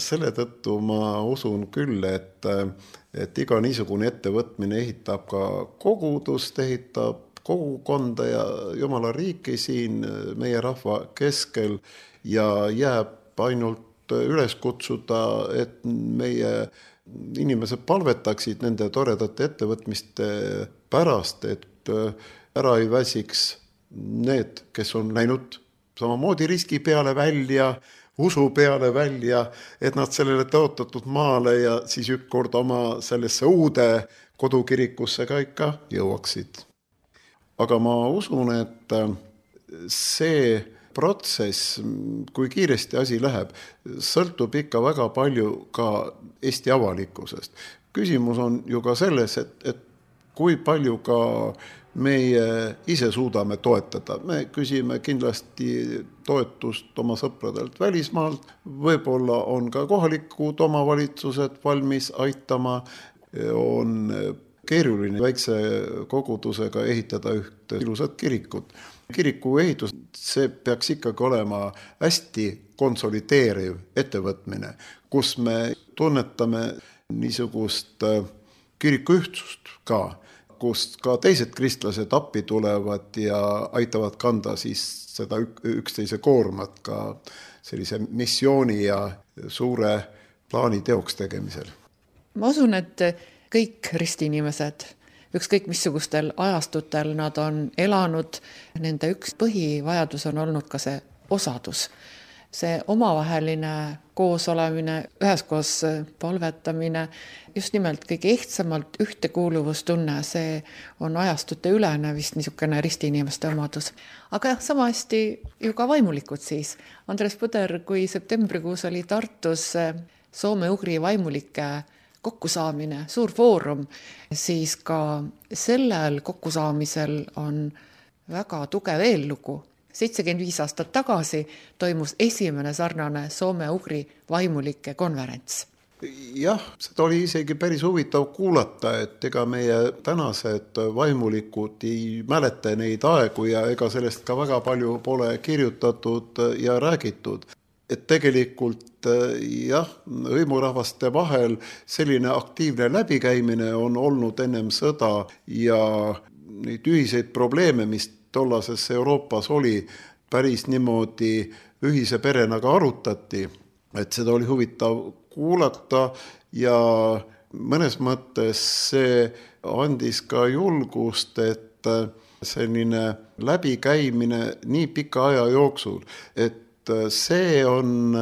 selle tõttu ma usun küll, et iga niisugune ettevõtmine ehitab ka kogudust, ehitab kogukonda ja Jumala riiki siin meie rahva keskel ja jääb ainult üles kutsuda, et meie inimesed palvetaksid nende toredate ettevõtmiste pärast, et ära ei väsiks need, kes on läinud samamoodi riski peale välja, usu peale välja, et nad sellele tõotatud maale ja siis ükskord oma sellesse uude kodukirikusse ka ikka jõuaksid. Aga ma usun, et see protsess, kui kiiresti asi läheb, sõltub ikka väga palju ka Eesti avalikkusest. Küsimus on ju ka selles, et kui palju ka meie ise suudame toetada. Me küsime kindlasti toetust oma sõpradelt välismaalt, võib-olla on ka kohalikud omavalitsused valmis aitama, on keeruline väikse kogudusega ehitada ühte ilusat kirikut. Kiriku ehitus, see peaks ikkagi olema hästi konsolideeriv ettevõtmine, kus me tunnetame niisugust kiriku ühtsust ka, kus ka teised kristlased appi tulevad ja aitavad kanda siis seda üksteise koormat ka sellise missiooni ja suure plaani teoks tegemisel. Ma usun, et kõik ristiinimesed, ükskõik missugustel ajastutel nad on elanud, nende üks põhivajadus on olnud ka see osadus. See omavaheline koosolemine, üheskoos palvetamine, just nimelt kõige ehtsamalt ühtekuuluvustunne, see on ajastute ülene vist niisugune ristiinimeste omadus. Aga jah, sama hästi ju ka vaimulikud siis. Andres Põder, kui septembrikuus oli Tartus soome-ugri vaimulike kokkusaamine, suur foorum, siis ka sellel kokkusaamisel on väga tugev eellugu. 75 aastat tagasi toimus esimene sarnane soome-ugri vaimulike konverents. Jah, seda oli isegi päris huvitav kuulata, et ega meie tänased vaimulikud ei mäleta neid aegu ja ega sellest ka väga palju pole kirjutatud ja räägitud. Et tegelikult jah, hõimurahvaste vahel selline aktiivne läbikäimine on olnud ennem sõda ja neid ühiseid probleeme, mis tollases Euroopas oli, päris niimoodi ühise perena ka arutati, et seda oli huvitav kuulata ja mõnes mõttes see andis ka julgust, et selline läbikäimine nii pika aja jooksul, et see on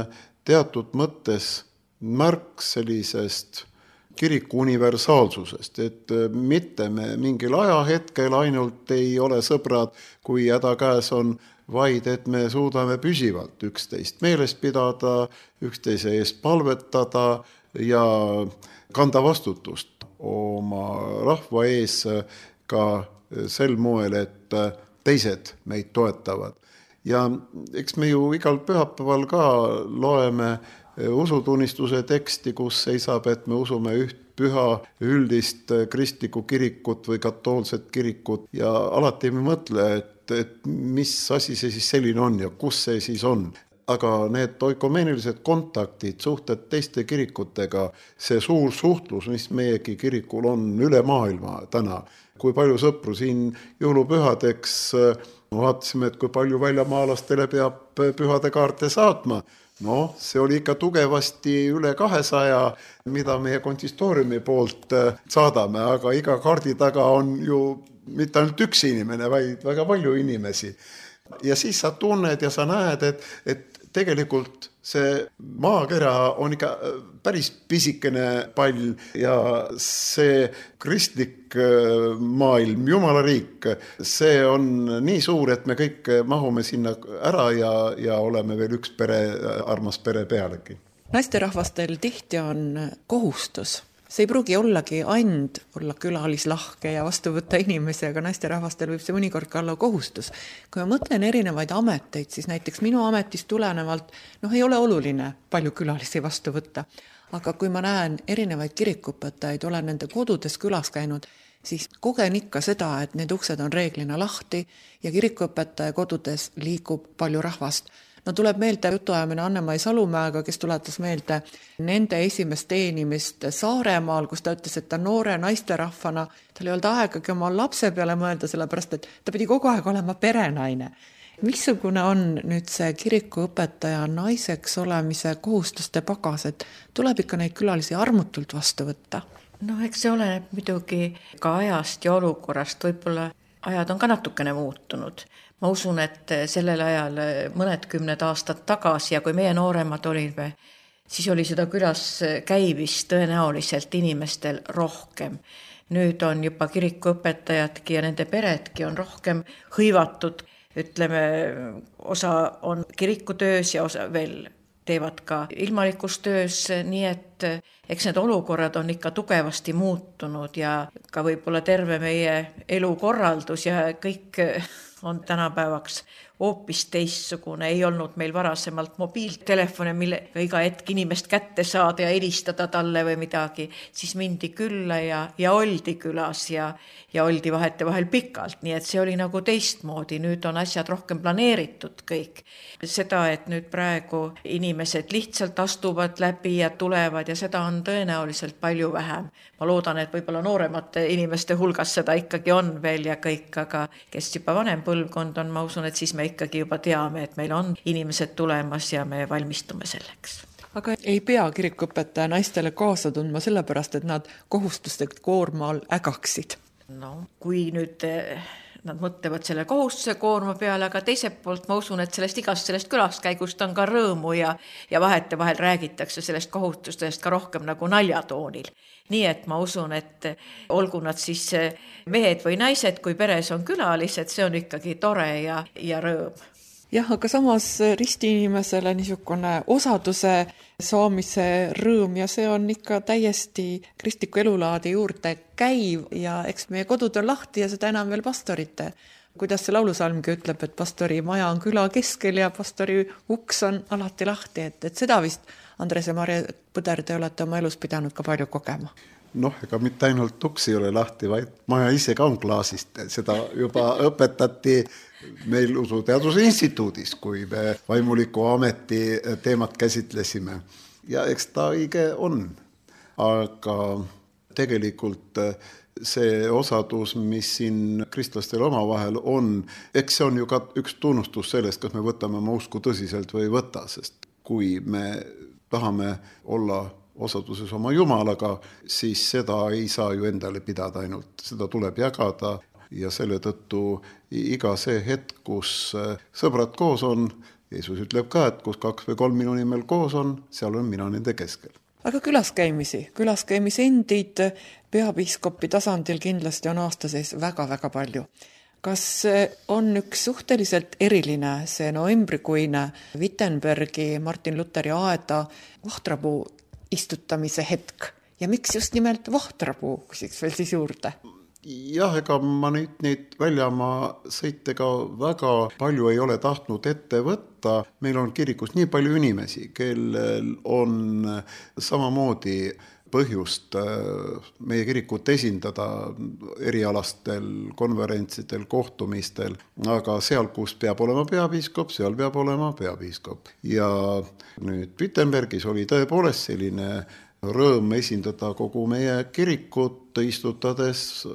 teatud mõttes märk sellisest kiriku universaalsusest, et mitte me mingil ajahetkel ainult ei ole sõbrad, kui häda käes on, vaid et me suudame püsivalt üksteist meeles pidada, üksteise eest palvetada ja kanda vastutust oma rahva ees ka sel moel, et teised meid toetavad. Ja eks me ju igal pühapäeval ka loeme usutunnistuse teksti, kus seisab, et me usume üht püha üldist kristlikku kirikut või katoolset kirikut ja alati me mõtle, et mis asi see siis selline on ja kus see siis on. Aga need oikomeenilised kontaktid, suhted teiste kirikutega, see suur suhtlus, mis meiegi kirikul on üle maailma täna, kui palju sõpru siin jõulupühadeks vaatasime, et kui palju väljamaalastele peab pühade kaarte saatma. No, see oli ikka tugevasti üle 200, mida meie konsistooriumi poolt saadame, aga iga kaardi taga on ju mitte ainult üks inimene, vaid väga palju inimesi. Ja siis sa tunned ja sa näed, et tegelikult see maakera on ikka päris pisikene pall ja see kristlik maailm, Jumala riik, see on nii suur, et me kõik mahume sinna ära ja oleme veel üks pere, armas pere pealegi. Naisterahvastel tihti on kohustus. See ei pruugi ollagi ainult olla külalislahke ja vastu võtta inimesi, aga naisterahvastel võib see mõnikord ka olla kohustus. Kui ma mõtlen erinevaid ameteid, siis näiteks minu ametist tulenevalt ei ole oluline palju külalisi vastu võtta. Aga kui ma näen erinevaid kirikuõpetajaid, olen nende kodudes külas käinud, siis kogen ikka seda, et need uksed on reeglina lahti ja kirikuõpetaja kodudes liigub palju rahvast. No tuleb meelde jutuajamine Anne-Mai Salumäega, kes tuletas meelde nende esimest teenimist Saaremaal, kus ta ütles, et ta noore naisterahvana, tal ei olnud aegagi oma lapse peale mõelda, sellepärast, et ta pidi kogu aeg olema perenaine. Missugune on nüüd see kirikuõpetaja naiseks olemise kohustuste pagas, et tuleb ikka neid külalisi armutult vastu võtta? Eks see oleneb muidugi ka ajast ja olukorrast, võib-olla ajad on ka natukene muutunud. Ma usun, et sellel ajal mõned 10 aastat tagasi ja kui meie nooremad olime, siis oli seda külas käivist tõenäoliselt inimestel rohkem. Nüüd on juba kirikuõpetajadki ja nende peredki on rohkem hõivatud. Ütleme, osa on kirikutöös ja osa veel teevad ka ilmalikus töös, nii et eks need olukorrad on ikka tugevasti muutunud ja ka võib-olla terve meie elukorraldus ja kõik on tänapäevaks hoopis teistsugune. Ei olnud meil varasemalt mobiiltelefone, millega iga hetk inimest kätte saada ja helistada talle või midagi. Siis mindi külla ja oldi külas ja oldi vahel pikalt. Nii et see oli nagu teistmoodi. Nüüd on asjad rohkem planeeritud kõik. Seda, et nüüd praegu inimesed lihtsalt astuvad läbi ja tulevad ja seda on tõenäoliselt palju vähem. Ma loodan, et võib-olla nooremate inimeste hulgas seda ikkagi on veel ja kõik, aga kes juba vanem põlvkond on, ma usun, et siis me ikkagi juba teame, et meil on inimesed tulemas ja me valmistume selleks. Aga ei pea kirikuõpetaja naistele kaasa tundma sellepärast, et nad kohustuste koormal ägaksid. Kui nüüd nad mõtlevad selle kohustuse koorma peale, aga teiselt poolt ma usun, et sellest külaskäigust on ka rõõmu ja vahel räägitakse sellest kohustustest ka rohkem nagu naljatoonil. Nii et ma usun, et olgu nad siis mehed või naised, kui peres on külalised, see on ikkagi tore ja rõõm. Jah, aga samas ristiinimesele niisugune osaduse saamise rõõm ja see on ikka täiesti kristliku elulaadi juurde käiv ja eks meie kodud on lahti ja seda enam veel pastorite kuidas see laulusalmgi ütleb, et pastori maja on küla keskel ja pastori uks on alati lahti, et seda vist Andres ja Marje Põder, te olete oma elus pidanud ka palju kogema. Noh, ega mitte ainult uks ei ole lahti, vaid maja ise ka on klaasist. Seda juba õpetati meil Usuteaduse Instituudis, kui me vaimuliku ameti teemat käsitlesime. Ja eks ta õige on. Aga tegelikult see osadus, mis siin kristlastel omavahel on, eks see on ju ka üks tunnustus sellest, kas me võtame oma usku tõsiselt või ei võta, sest kui me tahame olla osaduses oma Jumalaga, siis seda ei saa ju endale pidada ainult, seda tuleb jagada ja selle tõttu iga see hetk, kus sõbrad koos on, Jeesus ütleb ka, et kus 2 või 3 minu nimel koos on, seal on mina nende keskel. Aga külaskäimisi endid peapiiskopi tasandil kindlasti on aasta sees väga-väga palju. Kas on üks suhteliselt eriline see novembrikuine Wittenbergi Martin Lutheri aeda vahtrapuu istutamise hetk ja miks just nimelt vahtrapuu, küsiks veel siis juurde? Jah, ega ma neid väljamaa sõitega väga palju ei ole tahtnud ette võtta. Meil on kirikus nii palju inimesi, kellel on samamoodi põhjust meie kirikut esindada erialastel konverentsidel, kohtumistel, aga seal, kus peab olema peapiiskop, seal peab olema peapiiskop. Ja nüüd Wittenbergis oli tõepoolest selline rõõm esindada kogu meie kirikut, istutades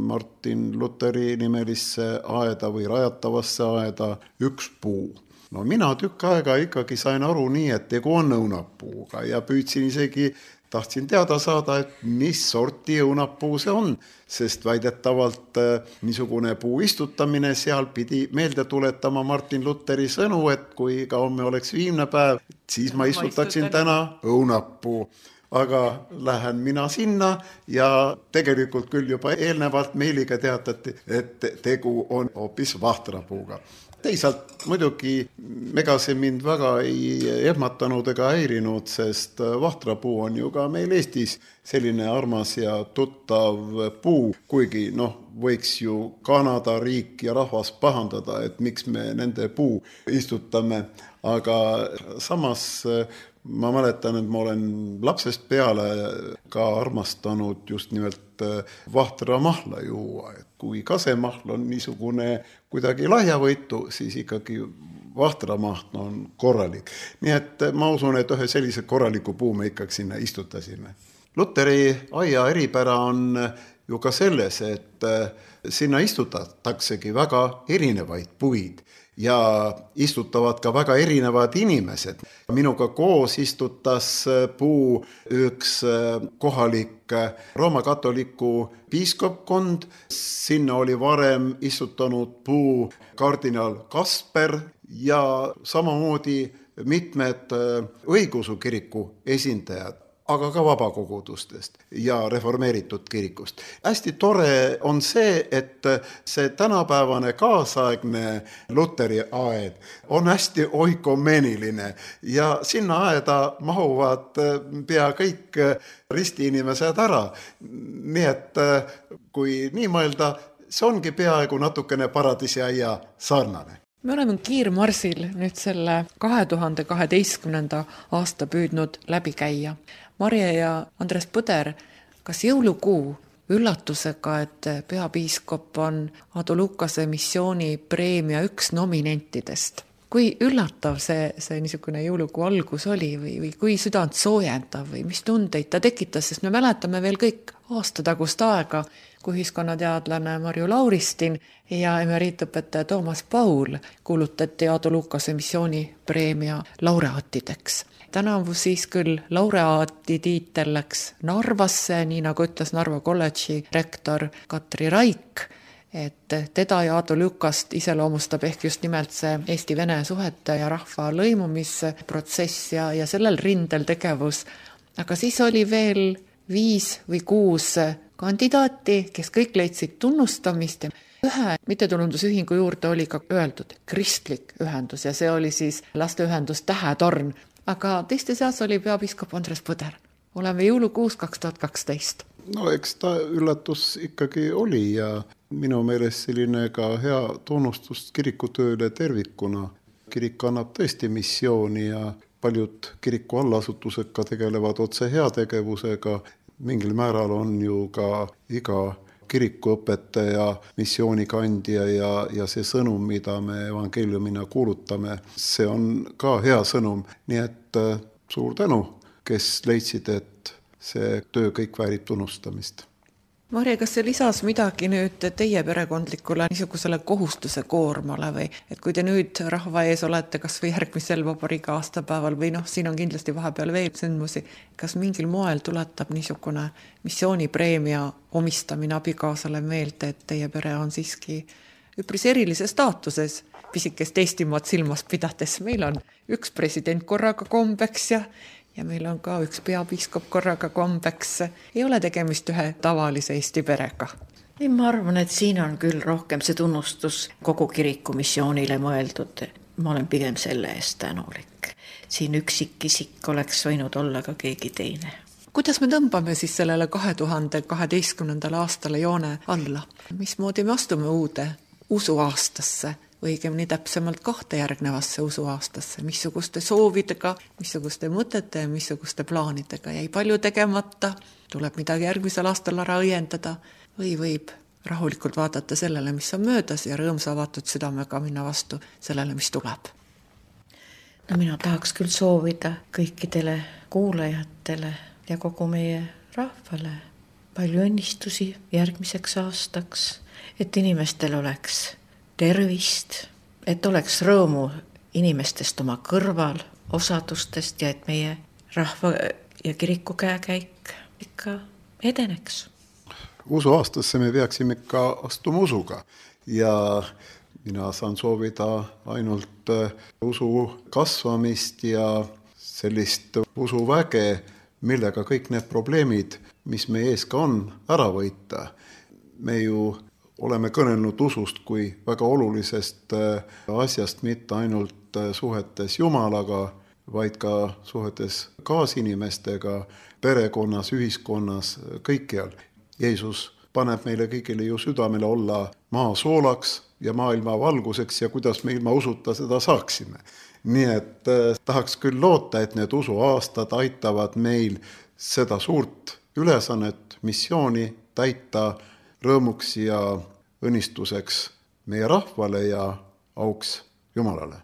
Martin Lutheri nimelisse aeda või rajatavasse aeda üks puu. No mina tükk aega ikkagi sain aru nii, et tegu on õunapuuga ja püüdsin isegi tahtsin teada saada, et mis sorti õunapuu see on, sest väidetavalt niisugune puu istutamine seal pidi meelde tuletama Martin Lutheri sõnu, et kui ka homme oleks viimne päev, siis ma istutaksin täna õunapuu. Aga lähen mina sinna ja tegelikult küll juba eelnevalt meiliga teatati, et tegu on hoopis vahtrapuuga. Teisalt muidugi ega see mind väga ei ehmatanud ega häirinud, sest vahtrapuu on ju ka meil Eestis selline armas ja tuttav puu, kuigi võiks ju Kanada riik ja rahvas pahandada, et miks me nende puu istutame, aga samas ma mäletan, et ma olen lapsest peale ka armastanud just nimelt vahtramahle juua, et kui kasemahl on niisugune kuidagi lahjavõitu, siis ikkagi vahtramaht on korralik. Nii et ma usun, et ühe sellise korraliku puu me ikkagi sinna istutasime. Lutheri aia eripära on ju ka selles, et sinna istutataksegi väga erinevaid puid ja istutavad ka väga erinevad inimesed. Minuga koos istutas puu üks kohalik Rooma katoliku piiskopkond. Sinna oli varem istutanud puu kardinal Kasper ja samamoodi mitmed õigeusu kiriku esindajad, aga ka vabakogudustest ja reformeeritud kirikust. Hästi tore on see, et see tänapäevane kaasaegne Lutheri aed on hästi oikomeeniline ja sinna aeda mahuvad pea kõik ristiinimesed ära. Nii et kui nii mõelda, see ongi peaaegu natukene paradiisiaia sarnane. Me oleme kiirmarsil nüüd selle 2012. aasta püüdnud läbi käia. Marje ja Andres Põder, kas jõulukuu üllatusega, et peapiiskop on Aadu Lukase missioonipreemia üks nominentidest? Kui üllatav see niisugune jõulukuu algus oli või kui südant soojendav või mis tundeid ta tekitas, sest me mäletame veel kõik aastatagust aega, kui ühiskonnateadlane Marju Lauristin ja emeriitõpetaja Toomas Paul kuulutati Aadu Lukase missioonipreemia laureaatideks. Tänavu siis küll laureaati tiitel läks Narvasse, nii nagu ütles Narva kolledži rektor Katri Raik, et teda ja Aadu Lukast iseloomustab ehk just nimelt see Eesti-Vene suhete ja rahva lõimumisprotsess ja sellel rindel tegevus. Aga siis oli veel 5 või 6 kandidaati, kes kõik leidsid tunnustamist. Ühe mittetulundusühingu juurde oli ka öeldud kristlik ühendus ja see oli siis lasteühendus Tähetorn. Aga teiste seas oli peapiiskop Andres Põder. Oleme jõulukuus 2012. No eks ta üllatus ikkagi oli ja minu meelest selline ka hea tunnustus kirikutööle tervikuna. Kirik annab tõesti missiooni ja paljud kiriku allasutused ka tegelevad otse heategevusega. Mingil määral on ju ka iga kirikuõpetaja missioonikandja ja see sõnum, mida me evangeeliumina kuulutame, see on ka hea sõnum. Nii et suur tänu, kes leidsid, et see töö kõik väärib tunnustamist. Marje, kas see lisas midagi nüüd teie perekondlikule niisugusele kohustuse koormale või et kui te nüüd rahva ees olete kas või järgmisel vabariigi aastapäeval või siin on kindlasti vahepeal veel sündmusi, kas mingil moel tuletab niisugune missioonipreemia omistamine abikaasale meelde, et teie pere on siiski üpris erilises staatuses, pisikest Eestimaad silmas pidades. Meil on üks president korraga kombeks ja meil on ka üks peapiiskop korraga kombeks. Ei ole tegemist ühe tavalise Eesti perega. Ei, ma arvan, et siin on küll rohkem see tunnustus kogu kiriku missioonile mõeldud. Ma olen pigem selle eest tänulik. Siin üksikisik oleks võinud olla ka keegi teine. Kuidas me tõmbame siis sellele 2012. aastale joone alla? Mismoodi me astume uude usuaastasse? Õigemini täpsemalt 2 järgnevasse usuaastasse, missuguste soovidega, missuguste mõtete ja missuguste plaanidega jäi palju tegemata, tuleb midagi järgmisel aastal ära õiendada või võib rahulikult vaadata sellele, mis on möödas ja rõõmsa avatud südamega minna vastu sellele, mis tuleb. No mina tahaks küll soovida kõikidele kuulajatele ja kogu meie rahvale palju õnnistusi järgmiseks aastaks, et inimestel oleks tervist, et oleks rõõmu inimestest oma kõrval, osadustest ja et meie rahva ja kiriku käekäik ikka edeneks. Usuaastasse me peaksime ikka astuma usuga ja mina saan soovida ainult usu kasvamist ja sellist usuväge, millega kõik need probleemid, mis meie ees ka on, ära võita. Me ju oleme kõnelnud usust kui väga olulisest asjast mitte ainult suhetes Jumalaga, vaid ka suhetes kaasinimestega, perekonnas, ühiskonnas, kõikjal. Jeesus paneb meile kõigile ju südamele olla maa soolaks ja maailma valguseks ja kuidas me ilma usuta seda saaksime. Nii et tahaks küll loota, et need usuaastad aitavad meil seda suurt ülesannet, missiooni täita rõõmuks ja õnnistuseks meie rahvale ja auks Jumalale.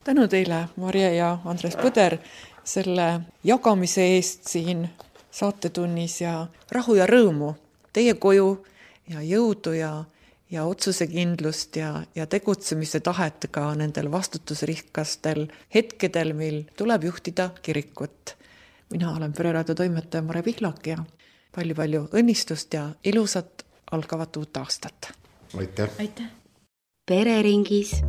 Tänu teile, Marje ja Andres Põder, selle jagamise eest siin saatetunnis ja rahu ja rõõmu teie koju ja jõudu ja otsusekindlust ja tegutsemise tahet ka nendel vastutusrikastel hetkedel, mil tuleb juhtida kirikut. Mina olen Pereraadio toimetaja Mare Pihlak ja palju õnnistust ja ilusat algavat uut aastat. Aitäh! Aitäh! Pereringis